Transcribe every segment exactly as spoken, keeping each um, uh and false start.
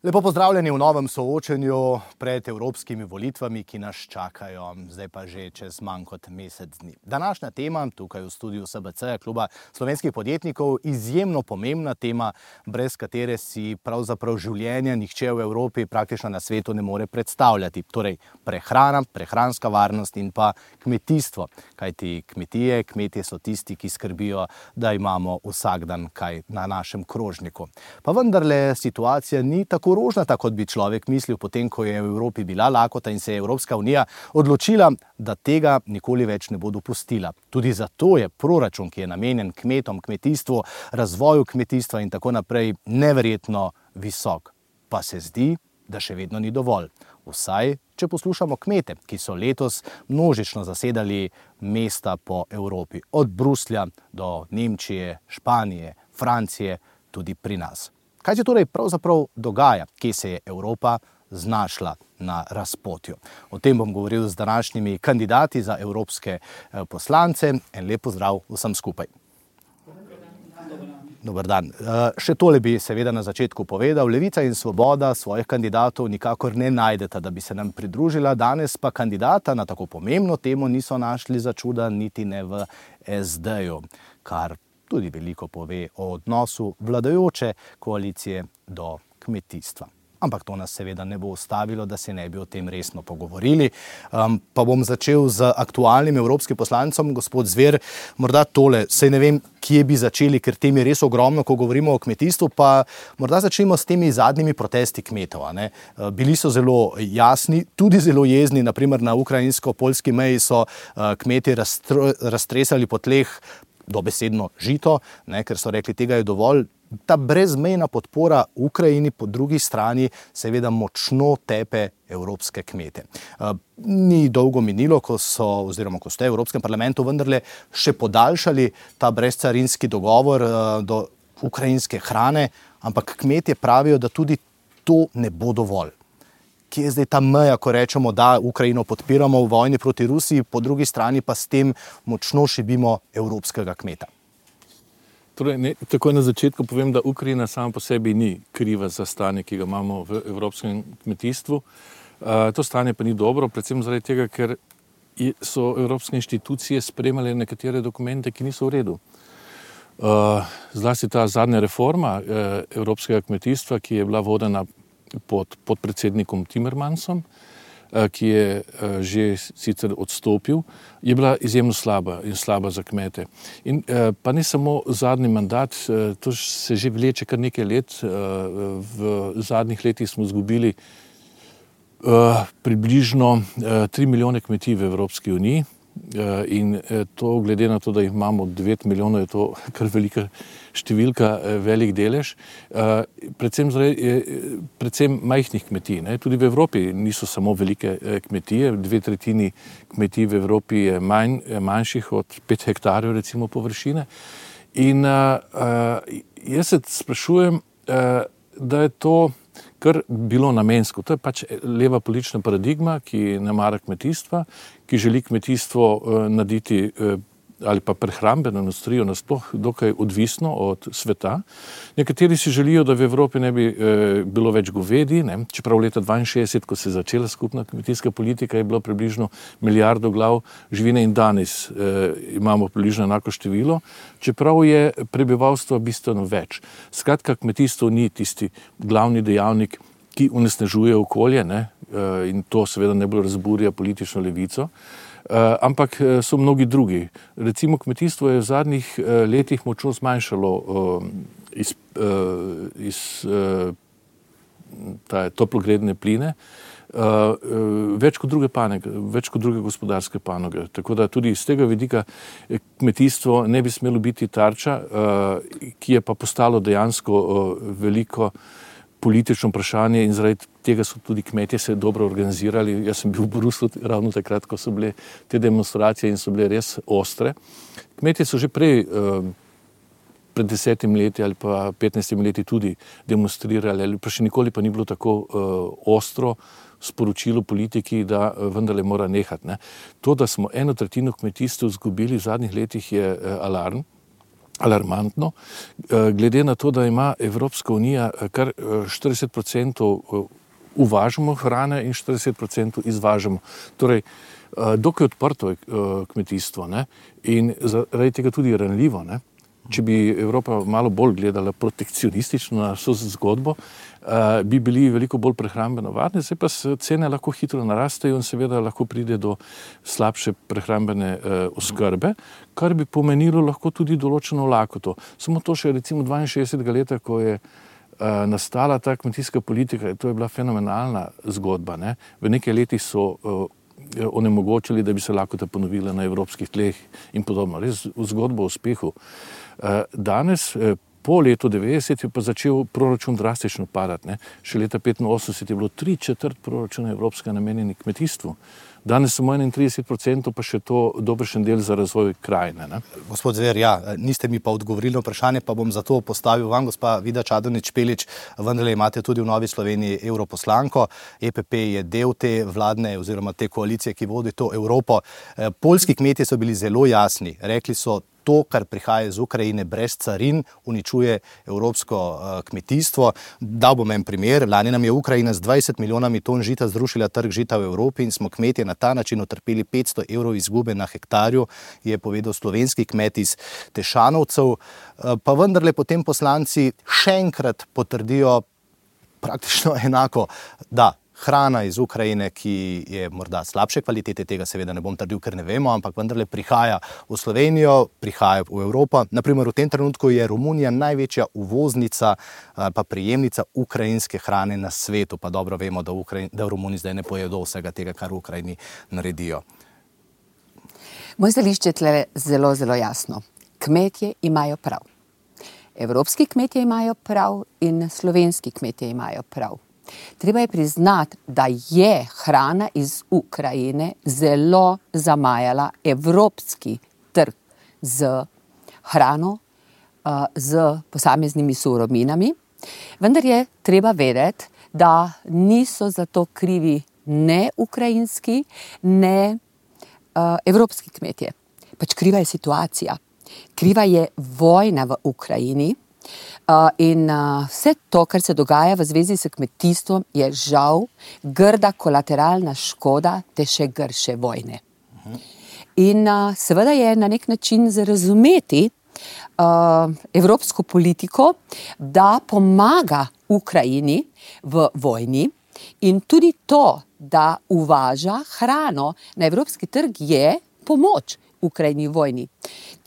Lepo pozdravljeni v novem soočenju pred evropskimi volitvami, ki nas čakajo, zdaj pa že čez manj kot mesec dni. Današnja tema, tukaj v studiu S B C, Kluba slovenskih podjetnikov, izjemno pomembna tema, brez katere si pravzaprav življenja nihče v Evropi, praktično na svetu, ne more predstavljati. Torej prehrana, prehranska varnost in pa kmetijstvo. Kajti kmetije, kmetje so tisti, ki skrbijo, da imamo vsak dan kaj na našem krožniku. Pa vendarle situacija ni tako rožnata, kot bi človek mislil, potem, ko je v Evropi bila lakota in se je Evropska unija odločila, da tega nikoli več ne bo dopustila. Tudi zato je proračun, ki je namenjen kmetom, kmetijstvu, razvoju kmetijstva in tako naprej, neverjetno visok. Pa se zdi, da še vedno ni dovolj. Vsaj, če poslušamo kmete, ki so letos množično zasedali mesta po Evropi. Od Bruslja do Nemčije, Španije, Francije, tudi pri nas. Kaj se torej pravzaprav dogaja, kje se je Evropa znašla na razpotju? O tem bom govoril z današnjimi kandidati za evropske poslance. En lep pozdrav vsem skupaj. Dober dan. Še tole bi seveda na začetku povedal. Levica in Svoboda svojih kandidatov nikakor ne najdeta, da bi se nam pridružila. Danes pa kandidata na tako pomembno temo niso našli za čuda niti ne v S D-ju, kar tudi veliko pove o odnosu vladajoče koalicije do kmetijstva. Ampak to nas seveda ne bo ustavilo, da se ne bi o tem resno pogovorili. Um, pa bom začel z aktualnim evropskim poslancem, gospod Zver. Morda tole, saj ne vem, kje bi začeli, ker tem je res ogromno, ko govorimo o kmetijstvu, pa morda začnemo s temi zadnjimi protesti kmetov. A ne? Bili so zelo jasni, tudi zelo jezni, naprimer na ukrajinsko-poljski meji so uh, kmetje raztresali po tleh dobesedno žito, ne, ker so rekli, tega je dovolj. Ta brezmejna podpora Ukrajini po drugi strani seveda močno tepe evropske kmete. Ni dolgo minilo, ko so, oziroma ko ste v Evropskem parlamentu vendarle še podaljšali ta brezcarinski dogovor do ukrajinske hrane, ampak kmetje pravijo, da tudi to ne bo dovolj. Kje je zdaj ta meja, ko rečemo, da Ukrajino podpiramo v vojni proti Rusiji, po drugi strani pa s tem močno šibimo evropskega kmeta? Torej, ne, takoj na začetku povem, da Ukrajina sama po sebi ni kriva za stanje, ki ga imamo v evropskem kmetijstvu. Uh, to stanje pa ni dobro, predvsem zaradi tega, ker so evropske inštitucije sprejemale nekatere dokumente, ki niso v redu. Uh, zlasti ta zadnja reforma uh, evropskega kmetijstva, ki je bila vodena pod podpredsednikom Timmermansom, ki je že sicer odstopil, je bila izjemno slaba in slaba za kmete. In pa ne samo zadnji mandat, to se že vleče kar nekaj let. V zadnjih letih smo izgubili približno tri milijone kmetij v Evropski uniji in to, glede na to, da imamo devet milijonov, je to kar velika številka, velik delež, predvsem, predvsem majhnih kmetij. Ne? Tudi v Evropi niso samo velike kmetije, dve tretjini kmetij v Evropi je manj, manjših od pet hektarjev recimo površine. In uh, jaz se sprašujem, uh, da je to kar bilo namensko. To je pač leva politična paradigma, ki ne mara kmetijstva, ki želi kmetijstvo uh, narediti uh, ali pa prehrambeno industrijo nasploh dokaj odvisno od sveta. Nekateri si želijo, da v Evropi ne bi e, bilo več govedi, ne? Čeprav leta dvainšestdeset, ko se je začela skupna kmetijska politika, je bilo približno milijardo glav živine in danes e, imamo približno enako število, čeprav je prebivalstvo bistveno več. Skratka, kmetijstvo ni tisti glavni dejavnik, ki onesnažuje okolje, ne? E, in to seveda najbolj razburja politično levico. Uh, ampak uh, so mnogi drugi. Recimo kmetijstvo je v zadnjih uh, letih močno zmanjšalo uh, iz, uh, iz uh, toplogredne pline, uh, uh, več kot druge panoge, več kot druge gospodarske panoge. Tako da tudi iz tega vidika kmetijstvo ne bi smelo biti tarča, uh, ki je pa postalo dejansko uh, veliko politično vprašanje in zaradi tega so tudi kmetje se dobro organizirali. Jaz sem bil v Bruslu ravno takrat, ko so bile te demonstracije in so bile res ostre. Kmetje so že prej, pred desetimi leti ali pa petnajstimi leti tudi demonstrirali, ali pa še nikoli pa ni bilo tako ostro sporočilo politiki, da vendarle mora nehati. Ne. To, da smo eno tretjino kmetijstva izgubili v zadnjih letih, je alarm. alarmantno, glede na to, da ima Evropska unija kar štirideset procentov uvažamo hrane in štirideset procentov izvažamo. Torej, dokaj odprto je kmetijstvo, ne? In zaradi tega tudi ranljivo, ne? Če bi Evropa malo bolj gledala protekcionistično na vso zgodbo, bi bili veliko bolj prehrambeno varni, zdaj pa cene lahko hitro narastejo in seveda lahko pride do slabše prehrambene oskrbe, kar bi pomenilo lahko tudi določeno lakoto. Samo to še recimo dvainšestdesetega leta, ko je nastala ta kmetijska politika, to je bila fenomenalna zgodba, ne? V nekaj letih so onemogočili, da bi se lakota ponovila na evropskih tleh in podobno. Res zgodba o uspehu. Danes, po letu devetdeset je pa začel proračun drastično padati, ne. Še leta petinosemdeset je bilo tri četrt proračuna evropskega namenjeni kmetijstvu. Danes samo enaintrideset procentov pa še to dobršen del za razvoj krajine, ne. Gospod Zver, ja, niste mi pa odgovorili na vprašanje, pa bom zato postavil vam, gospa Vida Čadonič Špelič, vendarle imate tudi v Novi Sloveniji europoslanko, E P P je del te vladne oziroma te koalicije, ki vodi to Evropo. Poljski kmetje so bili zelo jasni, rekli so, to, kar prihaja iz Ukrajine brez carin, uničuje evropsko kmetijstvo. Dal bom en primer, lani nam je Ukrajina z dvajset milijonami ton žita zrušila trg žita v Evropi in smo kmetje na ta način utrpeli petsto evrov izgube na hektarju, je povedal slovenski kmet iz Tešanovcev. Pa vendarle potem poslanci še enkrat potrdijo praktično enako, da hrana iz Ukrajine, ki je morda slabše kvalitete, tega seveda ne bom trdil, ker ne vemo, ampak vendarle prihaja v Slovenijo, prihaja v Evropo. Naprimer, v tem trenutku je Romunija največja uvoznica pa prejemnica ukrajinske hrane na svetu, pa dobro vemo, da, Ukrajin, da v Romuniji zdaj ne pojedo vsega tega, kar v Ukrajini naredijo. Moje stališče je tle zelo, zelo jasno. Kmetje imajo prav. Evropski kmetje imajo prav in slovenski kmetje imajo prav. Treba je priznati, da je hrana iz Ukrajine zelo zamajala evropski trg z hrano, z posameznimi surovinami. Vendar je treba vedeti, da niso za to krivi ne ukrajinski, ne evropski kmetje. Pač kriva je situacija. Kriva je vojna v Ukrajini. Uh, in uh, vse to, kar se dogaja v zvezi s kmetijstvom, je žal grda kolateralna škoda te še grše vojne. In uh, seveda je na nek način za razumeti uh, evropsko politiko, da pomaga Ukrajini v vojni in tudi to, da uvaža hrano na evropski trg, je pomoč Ukrajini vojni.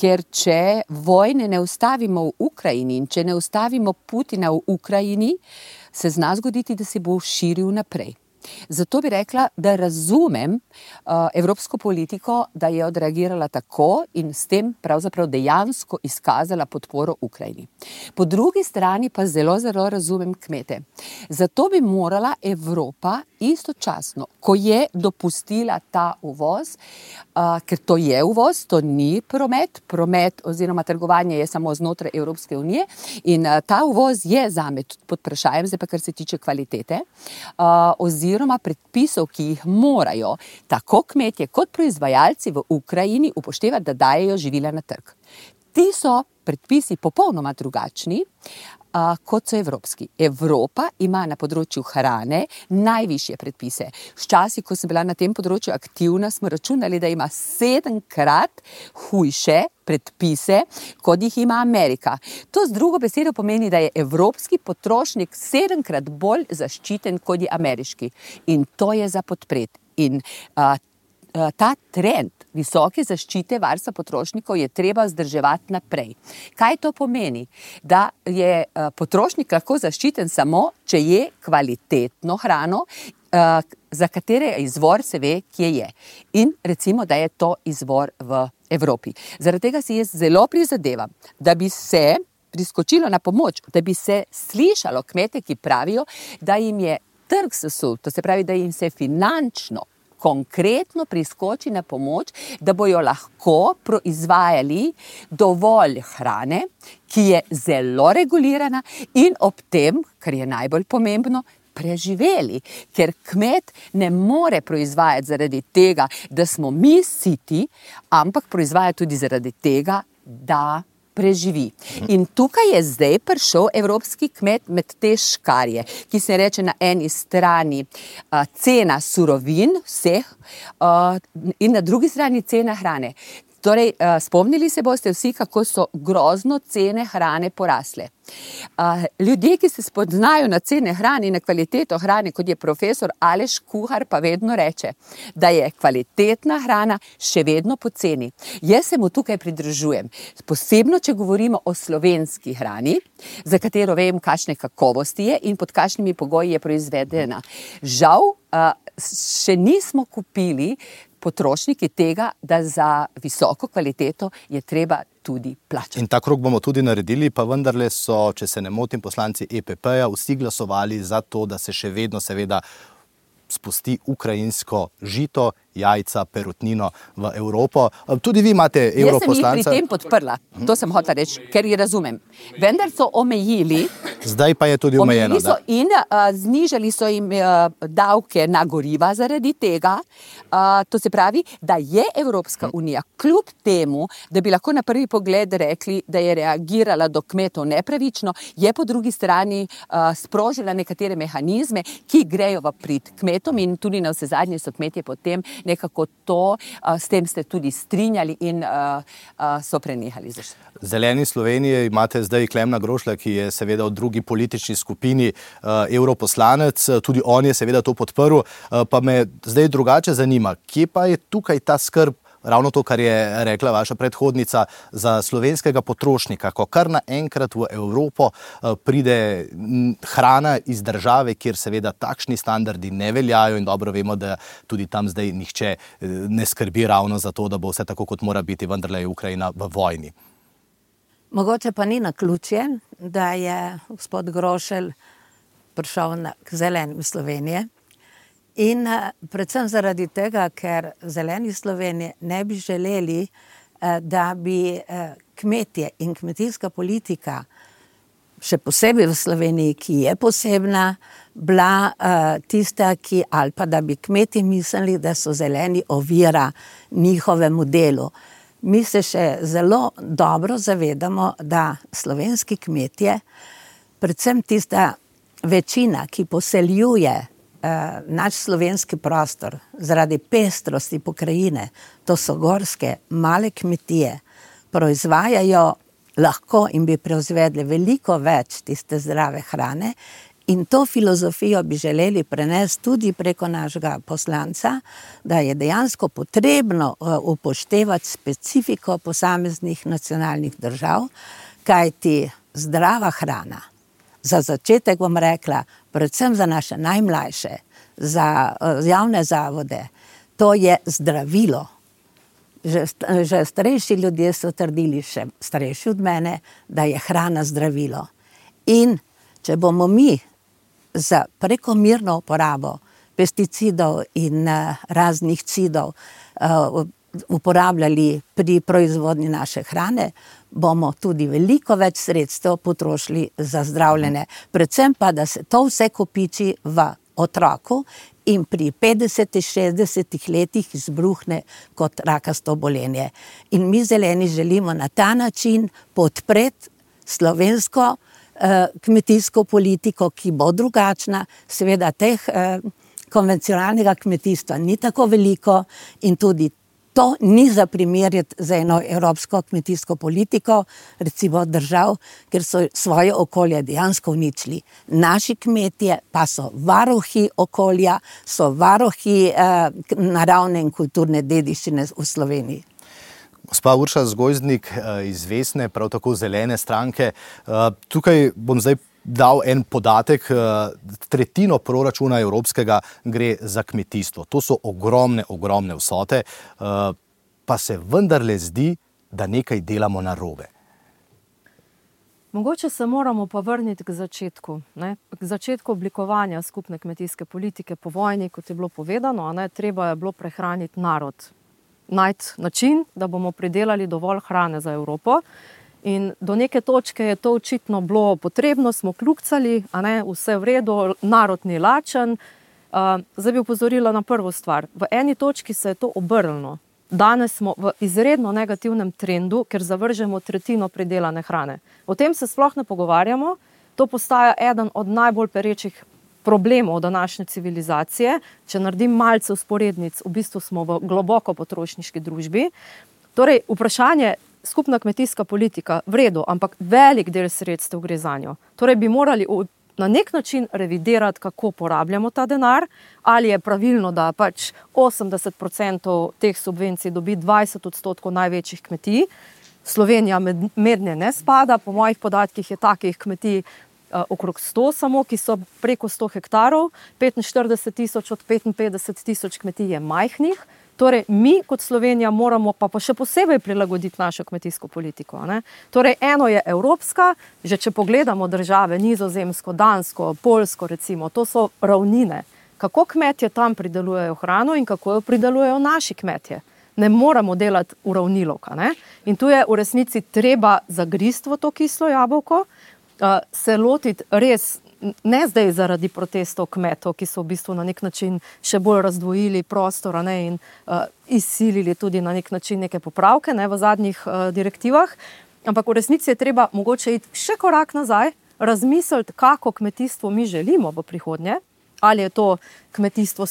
Ker če vojne ne ustavimo v Ukrajini in če ne ustavimo Putina v Ukrajini, se zna zgoditi, da se bo širil naprej. Zato bi rekla, da razumem uh, evropsko politiko, da je odreagirala tako in s tem pravzaprav dejansko izkazala podporo Ukrajini. Po drugi strani pa zelo, zelo razumem kmete. Zato bi morala Evropa istočasno, ko je dopustila ta uvoz, uh, ker to je uvoz, to ni promet, promet oziroma trgovanje je samo znotraj Evropske unije in uh, ta uvoz je zame pod vprašajem, zdaj pa kar se tiče kvalitete, uh, oziroma oziroma predpisov, ki jih morajo tako kmetje kot proizvajalci v Ukrajini upoštevati, da dajejo živila na trg. Ti so predpisi popolnoma drugačni, uh, kot so evropski. Evropa ima na področju hrane najvišje predpise. Včasih, ko sem bila na tem področju aktivna, smo računali, da ima sedemkrat hujše predpise, kot jih ima Amerika. To z drugo besedo pomeni, da je evropski potrošnik sedemkrat bolj zaščiten, kot je ameriški. In to je za podpreti. In uh, ta trend visoke zaščite varstva potrošnikov je treba vzdrževati naprej. Kaj to pomeni? Da je potrošnik lahko zaščiten samo, če je kvalitetno hrano, za katere izvor se ve, kje je. In recimo, da je to izvor v Evropi. Zaradi tega si jaz zelo prizadevam, da bi se priskočilo na pomoč, da bi se slišalo kmete, ki pravijo, da jim je trg sesul, to se pravi, da jim se finančno konkretno priskoči na pomoč, da bojo lahko proizvajali dovolj hrane, ki je zelo regulirana in ob tem, kar je najbolj pomembno, preživeli. Ker kmet ne more proizvajati zaradi tega, da smo mi siti, ampak proizvaja tudi zaradi tega, da preživi. In tukaj je zdaj prišel evropski kmet med te škarje, ki se reče na eni strani uh, cena surovin vseh uh, in na drugi strani cena hrane. Torej, uh, spomnili se boste vsi, kako so grozno cene hrane porasle. Uh, ljudje, ki se spoznajo na cene hrane in na kvaliteto hrane, kot je profesor Aleš Kuhar, pa vedno reče, da je kvalitetna hrana še vedno poceni. Jaz se mu tukaj pridružujem. Posebno, če govorimo o slovenski hrani, za katero vem, kakšne kakovosti je in pod kakšnimi pogoji je proizvedena. Žal, uh, še nismo kupili potrošniki tega, da za visoko kvaliteto je treba tudi plačati. In ta krog bomo tudi naredili, pa vendarle so, če se ne motim, poslanci E P P-ja vsi glasovali za to, da se še vedno seveda spusti ukrajinsko žito, jajca, perutnino v Evropo. Tudi vi imate europoslanca. Jaz sem jih pri tem podprla, to sem hotela reči, ker jih razumem. Vendar so omejili. Zdaj pa je tudi omejeno. So in uh, znižali so jim uh, davke na goriva zaradi tega. Uh, to se pravi, da je Evropska unija kljub temu, da bi lahko na prvi pogled rekli, da je reagirala do kmetov nepravično, je po drugi strani uh, sprožila nekatere mehanizme, ki grejo v prid kmetom in tudi na vse zadnje so kmetje potem nekako to, uh, s tem ste tudi strinjali in uh, uh, so prenehali. Zeleni Slovenije imate zdaj Klemna Grošlja, ki je seveda v drugi politični skupini uh, europoslanec, tudi on je seveda to podprl, uh, pa me zdaj drugače zanima, kje pa je tukaj ta skrb, ravno to, kar je rekla vaša predhodnica, za slovenskega potrošnika, ko kar naenkrat v Evropo uh, pride hrana iz države, kjer seveda takšni standardi ne veljajo in dobro vemo, da tudi tam zdaj nihče uh, ne skrbi ravno za to, da bo vse tako, kot mora biti, vendarle je Ukrajina v vojni. Mogoče pa ni naključje, da je gospod Grošelj prišel na, k Zelenim Slovenije in uh, predvsem zaradi tega, ker Zeleni Slovenije ne bi želeli, uh, da bi uh, kmetje in kmetijska politika, še posebej v Sloveniji, ki je posebna, bila uh, tista, ki, ali pa da bi kmetje mislili, da so zeleni ovira njihovemu delu. Mi se še zelo dobro zavedamo, da slovenski kmetje, predvsem tista večina, ki poseljuje eh, naš slovenski prostor zaradi pestrosti pokrajine, to so gorske, male kmetije, proizvajajo lahko in bi proizvedli veliko več tiste zdrave hrane. In to filozofijo bi želeli prenesti tudi preko našega poslanca, da je dejansko potrebno upoštevati specifiko posameznih nacionalnih držav, kajti zdrava hrana, za začetek bom rekla, predvsem za naše najmlajše, za javne zavode, to je zdravilo. Že, že starejši ljudje so trdili, še starejši od mene, da je hrana zdravilo. In če bomo mi za prekomerno uporabo pesticidov in uh, raznih cidov uh, uporabljali pri proizvodnji naše hrane, bomo tudi veliko več sredstev potrošili za zdravljenje. Predvsem pa, da se to vse kopiči v otroku in pri petdesetih, šestdesetih letih izbruhne kot rakasto obolenje. In mi zeleni želimo na ta način podpreti slovensko kmetijsko politiko, ki bo drugačna, seveda teh eh, konvencionalnega kmetijstva ni tako veliko in tudi to ni za primerjati za eno evropsko kmetijsko politiko, recimo držav, ker so svoje okolje dejansko uničili. Naši kmetje pa so varuhi okolja, so varuhi eh, naravne in kulturne dediščine v Sloveniji. Gospa Urša Zgozdnik iz Vesne, prav tako Zelene stranke. Tukaj bom zdaj dal en podatek. Tretjino proračuna evropskega gre za kmetijstvo. To so ogromne, ogromne vsote, pa se vendarle zdi, da nekaj delamo narobe. Mogoče se moramo pa vrniti k začetku, ne? K začetku oblikovanja skupne kmetijske politike po vojni, kot je bilo povedano, ne? Treba je bilo prehraniti narod. Najti način, da bomo pridelali dovolj hrane za Evropo. In do neke točke je to očitno bilo potrebno, smo kljukcali, a ne, vse v redu, narod ni lačen. Uh, zdaj bi opozorila na prvo stvar. V eni točki se je to obrnilo. danes smo v izredno negativnem trendu, ker zavržemo tretjino pridelane hrane. O tem se sploh ne pogovarjamo, to postaja eden od najbolj perečih problemov današnje civilizacije. Če naredim malce usporednic, v bistvu smo v globoko potrošniški družbi. Torej, vprašanje skupna kmetijska politika, v redu, ampak velik del sredstev gre za njo. Torej bi morali na nek način revidirati, kako porabljamo ta denar, ali je pravilno, da pač osemdeset procentov teh subvencij dobi dvajset odstotkov največjih kmetij. Slovenija med, mednje ne spada, po mojih podatkih je takih kmetij uh, okrog sto samo, ki so preko sto hektarov, petinštirideset tisoč od petinpetdeset tisoč kmetij je majhnih. Torej, mi kot Slovenija moramo pa, pa še posebej prilagoditi našo kmetijsko politiko. Ne? Torej, eno je evropska, že če pogledamo države, Nizozemsko, Dansko, Poljsko recimo, to so ravnine. Kako kmetje tam pridelujejo hrano in kako jo pridelujejo naši kmetje. Ne moramo delati uravnilovka. Ne? In tu je v resnici treba zagristi v to kislo jabolko, uh, se lotiti res, ne zdaj zaradi protestov kmetov, ki so v bistvu na nek način še bolj razdvojili prostor, ne, in uh, izsilili tudi na nek način neke popravke, ne, v zadnjih uh, direktivah, ampak v resnici je treba mogoče iti še korak nazaj, razmisliti, kako kmetijstvo mi želimo v prihodnje, ali je to kmetijstvo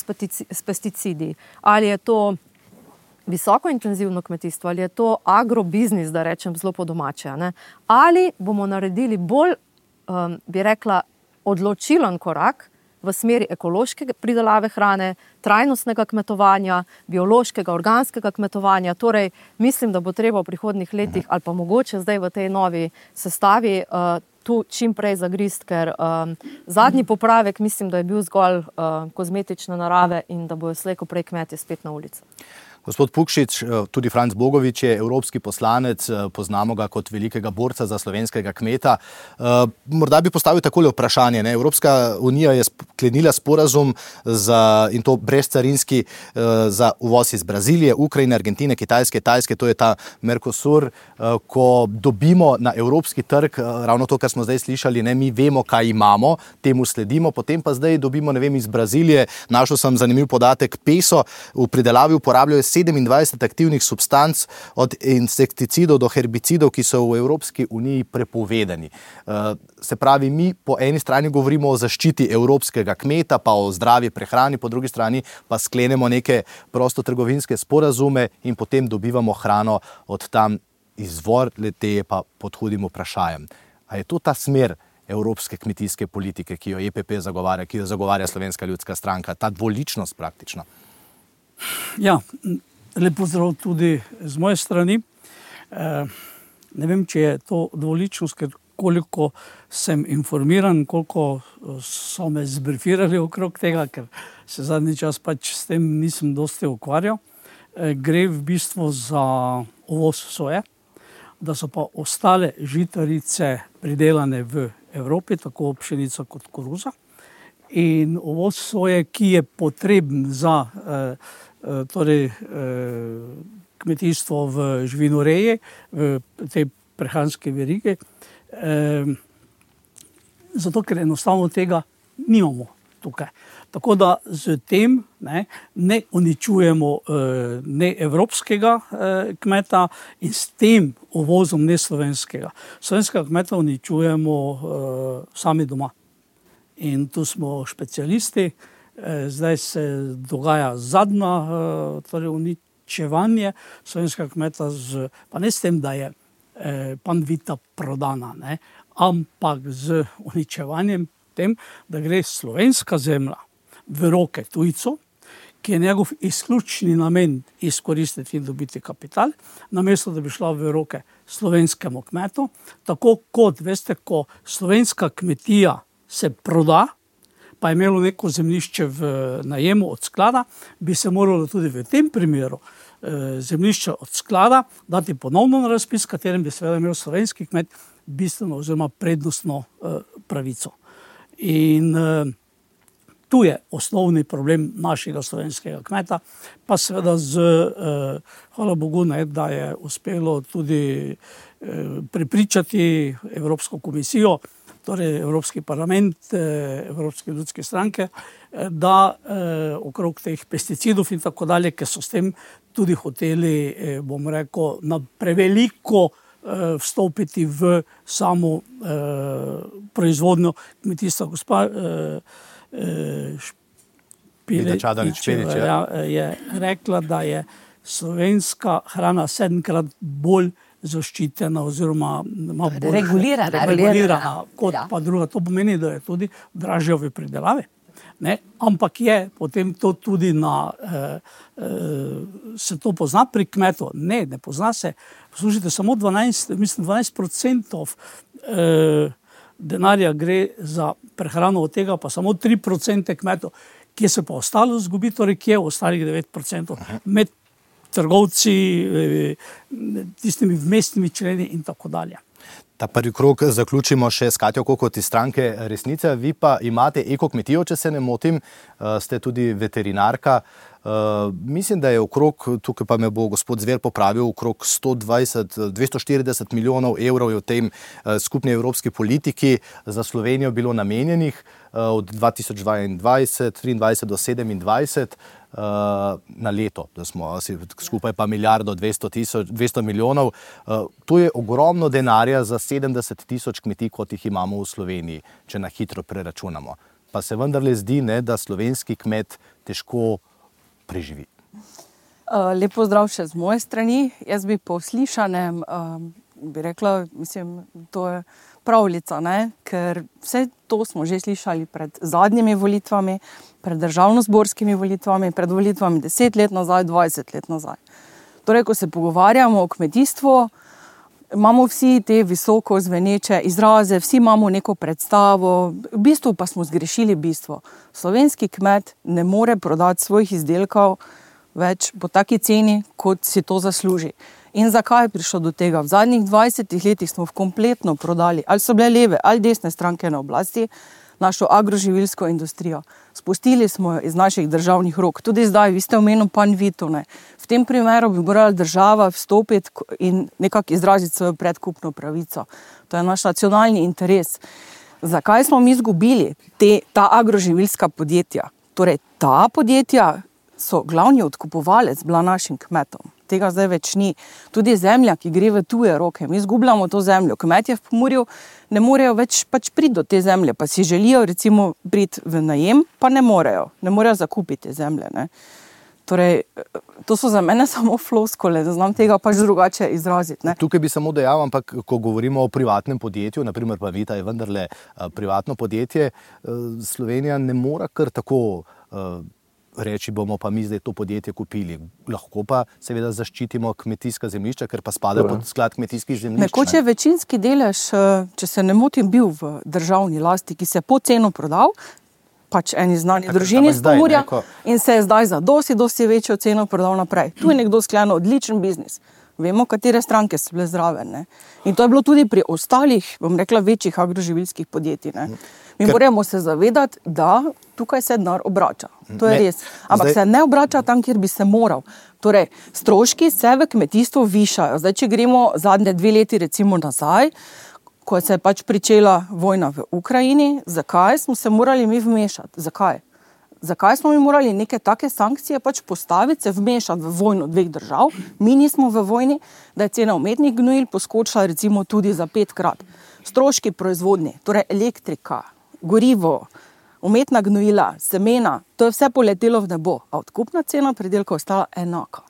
s pesticidi, ali je to visoko intenzivno kmetijstvo, ali je to agrobiznis, da rečem zelo po domače, ne, ali bomo naredili bolj, um, bi rekla, odločilen korak v smeri ekološke pridelave hrane, trajnostnega kmetovanja, biološkega, organskega kmetovanja. Torej, mislim, da bo treba v prihodnjih letih ali pa mogoče zdaj v tej novi sestavi uh, tu čim prej zagrist, ker um, zadnji popravek mislim, da je bil zgolj uh, kozmetične narave in da bojo slej ko prej kmetje spet na ulici. Gospod Pukšič, tudi Franc Bogovič je evropski poslanec, poznamo ga kot velikega borca za slovenskega kmeta. Morda bi postavil takole vprašanje. Ne? Evropska unija je sklenila sporazum za, in to brezcarinski za uvoz iz Brazilije, Ukrajine, Argentine, Kitajske, Tajske, to je ta Mercosur. Ko dobimo na evropski trg, ravno to, kar smo zdaj slišali, ne? Mi vemo, kaj imamo, temu sledimo, potem pa zdaj dobimo, ne vem, iz Brazilije, našel sem zanimiv podatek, peso v pridelavi uporabljajo sedemindvajset aktivnih substanc od insekticidov do herbicidov, ki so v Evropski uniji prepovedani. Se pravi, mi po eni strani govorimo o zaščiti evropskega kmeta, pa o zdravi prehrani, po drugi strani pa sklenemo neke prostotrgovinske sporazume in potem dobivamo hrano od tam, izvor le-te pa pod hudim vprašajem. A je to ta smer evropske kmetijske politike, ki jo E P P zagovarja, ki jo zagovarja Slovenska ljudska stranka, ta dvoličnost praktično? Ja, lep pozdrav tudi z moje strani. E, ne vem, če je to dvoličnost, ker koliko sem informiran, koliko so me zbrifirali okrog tega, ker se zadnji čas pač s tem nisem dosti ukvarjal. E, gre v bistvu za uvoz soje, da so pa ostale žitarice pridelane v Evropi, tako pšenica kot koruza. In uvoz soje, ki je potreben za eh, torej, eh, kmetijstvo v živinoreji, v tej prehranski verigi, eh, zato ker enostavno tega nimamo tukaj. Tako da z tem ne, ne uničujemo eh, ne evropskega eh, kmeta in s tem uvozom ne slovenskega. Slovenskega kmeta uničujemo eh, sami doma. In tu smo specialisti, zdaj se dogaja zadnja, torej uničevanje slovenskega kmeta, z, pa ne s tem, da je panvita prodana, ne, ampak z uničevanjem tem, da gre slovenska zemlja v roke tujcev, ki je njegov izključni namen izkoristiti in dobiti kapital, namesto da bi šla v roke slovenskemu kmetu, tako kot, veste, ko slovenska kmetija se proda, pa je imelo neko zemljišče v najemu od sklada, bi se moralo tudi v tem primeru eh, zemljišče od sklada dati ponovno na razpis, katerem bi seveda imel slovenski kmet bistveno oziroma prednostno eh, pravico. In eh, tu je osnovni problem našega slovenskega kmeta, pa seveda z, eh, hvala Bogu, ne, da je uspelo tudi eh, prepričati Evropsko komisijo, torej Evropski parlament, Evropske ljudske stranke, da eh, okrog teh pesticidov in tako dalje, ki so s tem tudi hoteli, eh, bom rekel, na preveliko eh, vstopiti v samo eh, proizvodnjo kmetijstva. Gospa eh, eh, Vida Čadonič Špelič, ja. je rekla, da je slovenska hrana sedemkrat bolj zaščitena oziroma ima bolj Regulirana. regulirana kot Ja. pa druga. To pomeni, da je tudi dražja v pridelavi. Ne? Ampak je potem to tudi na, eh, eh, se to pozna pri kmetu? Ne, ne pozna se. Poslušajte, samo dvanajst, mislim, dvanajst procentov eh, denarja gre za prehrano, od tega pa samo tri procente kmetov. Kje se pa ostalo zgubi, torej kje ostalih devet procentov med trgovci, tistimi vmesnimi členi in tako dalje. Ta prvi krog zaključimo še s Katjo Kokot iz stranke Resnica. Vi pa imate ekokmetijo, če se ne motim, ste tudi veterinarka. Uh, mislim, da je okrog, tukaj pa me bo gospod Zver popravil, okrog sto dvajset, dvesto štirideset milijonov evrov je v tem uh, skupni evropski politiki za Slovenijo bilo namenjenih uh, od dva tisoč dvaindvajset, triindvajset do sedemindvajset uh, na leto, da smo skupaj pa milijardo dvesto tisoč, dvesto milijonov. Uh, to je ogromno denarja za sedemdeset tisoč kmetij, kot jih imamo v Sloveniji, če na hitro preračunamo. Pa se vendarle zdi, ne, da slovenski kmet težko preživi. Lep pozdrav še z moje strani. Jaz bi po slišanem bi rekla, mislim, to je pravljica, ne? Ker vse to smo že slišali pred zadnjimi volitvami, pred državnozborskimi volitvami, pred volitvami deset let nazaj, dvajset let nazaj. Torej, ko se pogovarjamo o kmetijstvu, imamo vsi te visoko zveneče izraze, vsi imamo neko predstavo, v bistvu pa smo zgrešili bistvo. Slovenski kmet ne more prodati svojih izdelkov več po taki ceni, kot si to zasluži. In zakaj je prišlo do tega? V zadnjih dvajsetih letih smo kompletno prodali, ali so bile leve ali desne stranke na oblasti, našo agroživilsko industrijo. Spustili smo jo iz naših državnih rok. Tudi zdaj, vi ste omenili Panvito, ne. V tem primeru bi morala država vstopiti in nekako izraziti svojo predkupno pravico. To je naš nacionalni interes. Zakaj smo mi izgubili te, ta agroživilska podjetja? Torej, ta podjetja so glavni odkupovalec bila našim kmetom. Tega zdaj več ni. Tudi zemlja, ki gre v tuje roke, mi izgubljamo to zemljo. Kmetje v Pomurju ne morejo več pač priti do te zemlje, pa si želijo recimo priti v najem, pa ne morejo. Ne morejo zakupiti te zemlje, ne. Torej, to so za mene samo floskole, da znam tega pač drugače izraziti, ne. Tukaj bi samo dejal, ampak ko govorimo o privatnem podjetju, naprimer Panvita je vendarle uh, privatno podjetje, uh, Slovenija ne mora kar tako uh, reči, bomo pa mi zdaj to podjetje kupili. Lahko pa seveda zaščitimo kmetijska zemljišča, ker pa spada pod sklad kmetijskih zemljišč. Nekoč je večinski delež, če se ne motim, bil v državni lasti, ki se je po ceno prodal, pač eni znani družini iz Pomurja, in se je zdaj za dosti, dosti večjo ceno prodal naprej. Tu je nekdo sklenil odličen biznis. Vemo, katere stranke so bile zraven, ne. In to je bilo tudi pri ostalih, bom rekla, večjih agroživilskih podjetij, ne. Mi moramo se zavedati, da tukaj se denar obrača. To je res. Ampak se ne obrača tam, kjer bi se moral. Torej, stroški se v kmetijstvu višajo. Zdaj, če gremo zadnje dve leti recimo nazaj, ko se je pač pričela vojna v Ukrajini, zakaj smo se morali mi vmešati? Zakaj? Zakaj smo mi morali neke take sankcije pač postaviti, se vmešati v vojno dveh držav? Mi nismo v vojni, da je cena umetnih gnojil poskočila recimo tudi za petkrat. Stroški proizvodnje, torej elektrika, gorivo, umetna gnojila, semena, to je vse poletelo v nebo, a odkupna cena pridelka ostala enaka.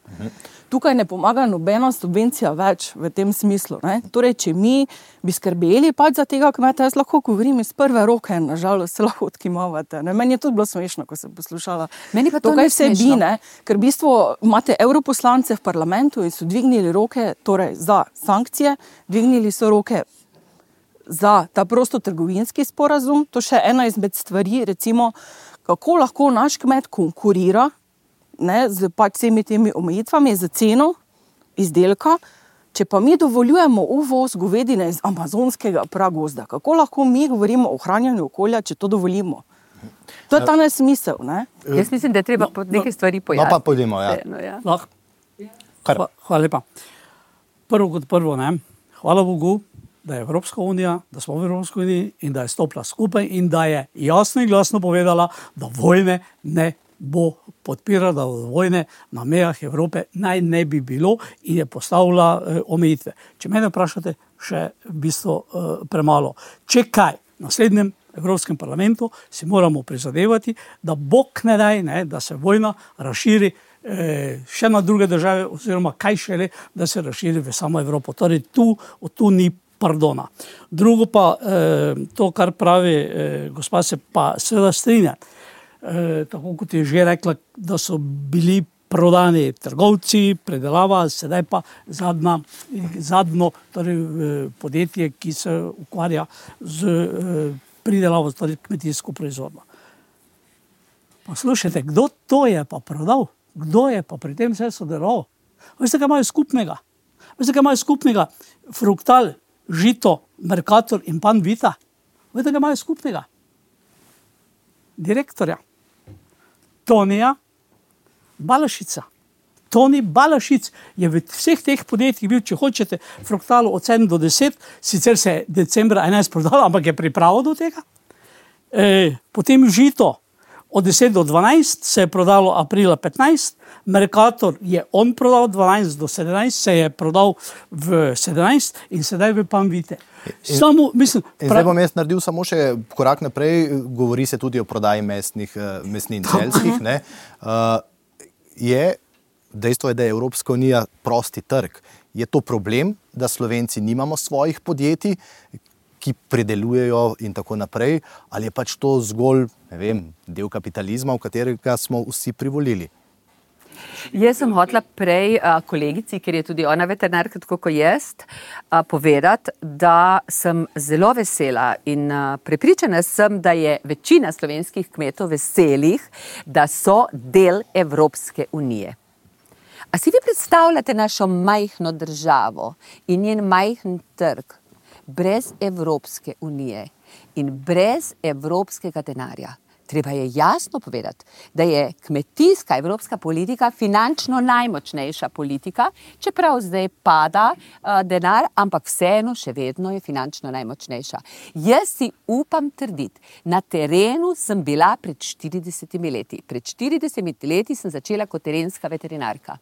Tukaj ne pomaga nobena subvencija več v tem smislu, ne. Torej, če mi bi skrbeli pač za tega kmeta, jaz lahko govorim iz prve roke, nažalost se lahko odkimavate, ne. Meni je tudi bilo smešno, ko sem poslušala. Meni pa to tukaj ni smešno. bi, ne, ker v bistvu imate europoslance v parlamentu in so dvignili roke, torej za sankcije, dvignili so roke za ta prostotrgovinski sporazum. To še ena izmed stvari, recimo, kako lahko naš kmet konkurira, ne, z pač vsemi temi omejitvami, z ceno izdelka, če pa mi dovoljujemo uvoz govedine iz amazonskega pragozda. Kako lahko mi govorimo o ohranjanju okolja, če to dovolimo? To je ta nesmisel, ne? Jaz mislim, da je treba no, neke stvari pojasniti. No pa pojdimo, ja. No, ja. Lahko. Hva, hvala lepa. Prvo kot prvo, ne, hvala Bogu, da je Evropska unija, da smo v Evropski uniji in da je stopila skupaj in da je jasno in glasno povedala, da vojne ne bo podpirala vojne na mejah Evrope, naj ne bi bilo in je postavila eh, omejitve. Če mene vprašate, še v bistvu eh, premalo. Če kaj, v naslednjem Evropskem parlamentu si moramo prizadevati, da bog ne daj, ne, da se vojna razširi eh, še na druge države, oziroma kaj šele, da se razširi v samo Evropo. Torej tu, tu ni pardona. Drugo pa, eh, to, kar pravi eh, gospa, se pa seveda strinja. Eh, tako kot je že rekla, da so bili prodani trgovci, predelava, sedaj pa zadnja, zadnjo torej, podjetje, ki se ukvarja z eh, pridelavo, torej kmetijsko proizvodnjo. Poslušajte, kdo to je pa prodal? Kdo je pa pri tem vse sodeloval? Veste, kaj imajo skupnega? Veste, kaj imajo skupnega? Fruktal, Žito, Mercator in Panvita. Veste, kaj imajo skupnega? Direktorja. Tonija Balašica. Toni Balašic je v vseh teh podjetjih bil, če hočete, Fruktalo od sedem do deset, sicer se je decembra enajst prodalo, ampak je pripravil do tega. E, potem Žito od deset do dvanajst se je prodalo aprila petnajst, Mercator je on prodal dvanajst do sedemnajst, se je prodal v sedemnajst in sedaj v Panvite. Samo, mislim, in zdaj bom jaz naredil samo še korak naprej, govori se tudi o prodaji mesnih, mesnin celjskih, ne. Uh, je, dejstvo je, da je Evropska unija prosti trg. Je to problem, da Slovenci nimamo svojih podjetij, ki predelujejo in tako naprej, ali je pač to zgolj, ne vem, del kapitalizma, v katerega smo vsi privolili? Jaz sem hotela prej a, kolegici, ker je tudi ona veterinarka, tako kot jaz, a, povedati, da sem zelo vesela in a, prepričana sem, da je večina slovenskih kmetov veselih, da so del Evropske unije. A si vi predstavljate našo majhno državo in njen majhen trg brez Evropske unije in brez evropskega denarja? Treba je jasno povedati, da je kmetijska evropska politika finančno najmočnejša politika, čeprav zdaj pada uh, denar, ampak vseeno še vedno je finančno najmočnejša. Jaz si upam trditi, na terenu sem bila pred štiridesetimi leti. Pred štiridesetimi leti sem začela kot terenska veterinarka.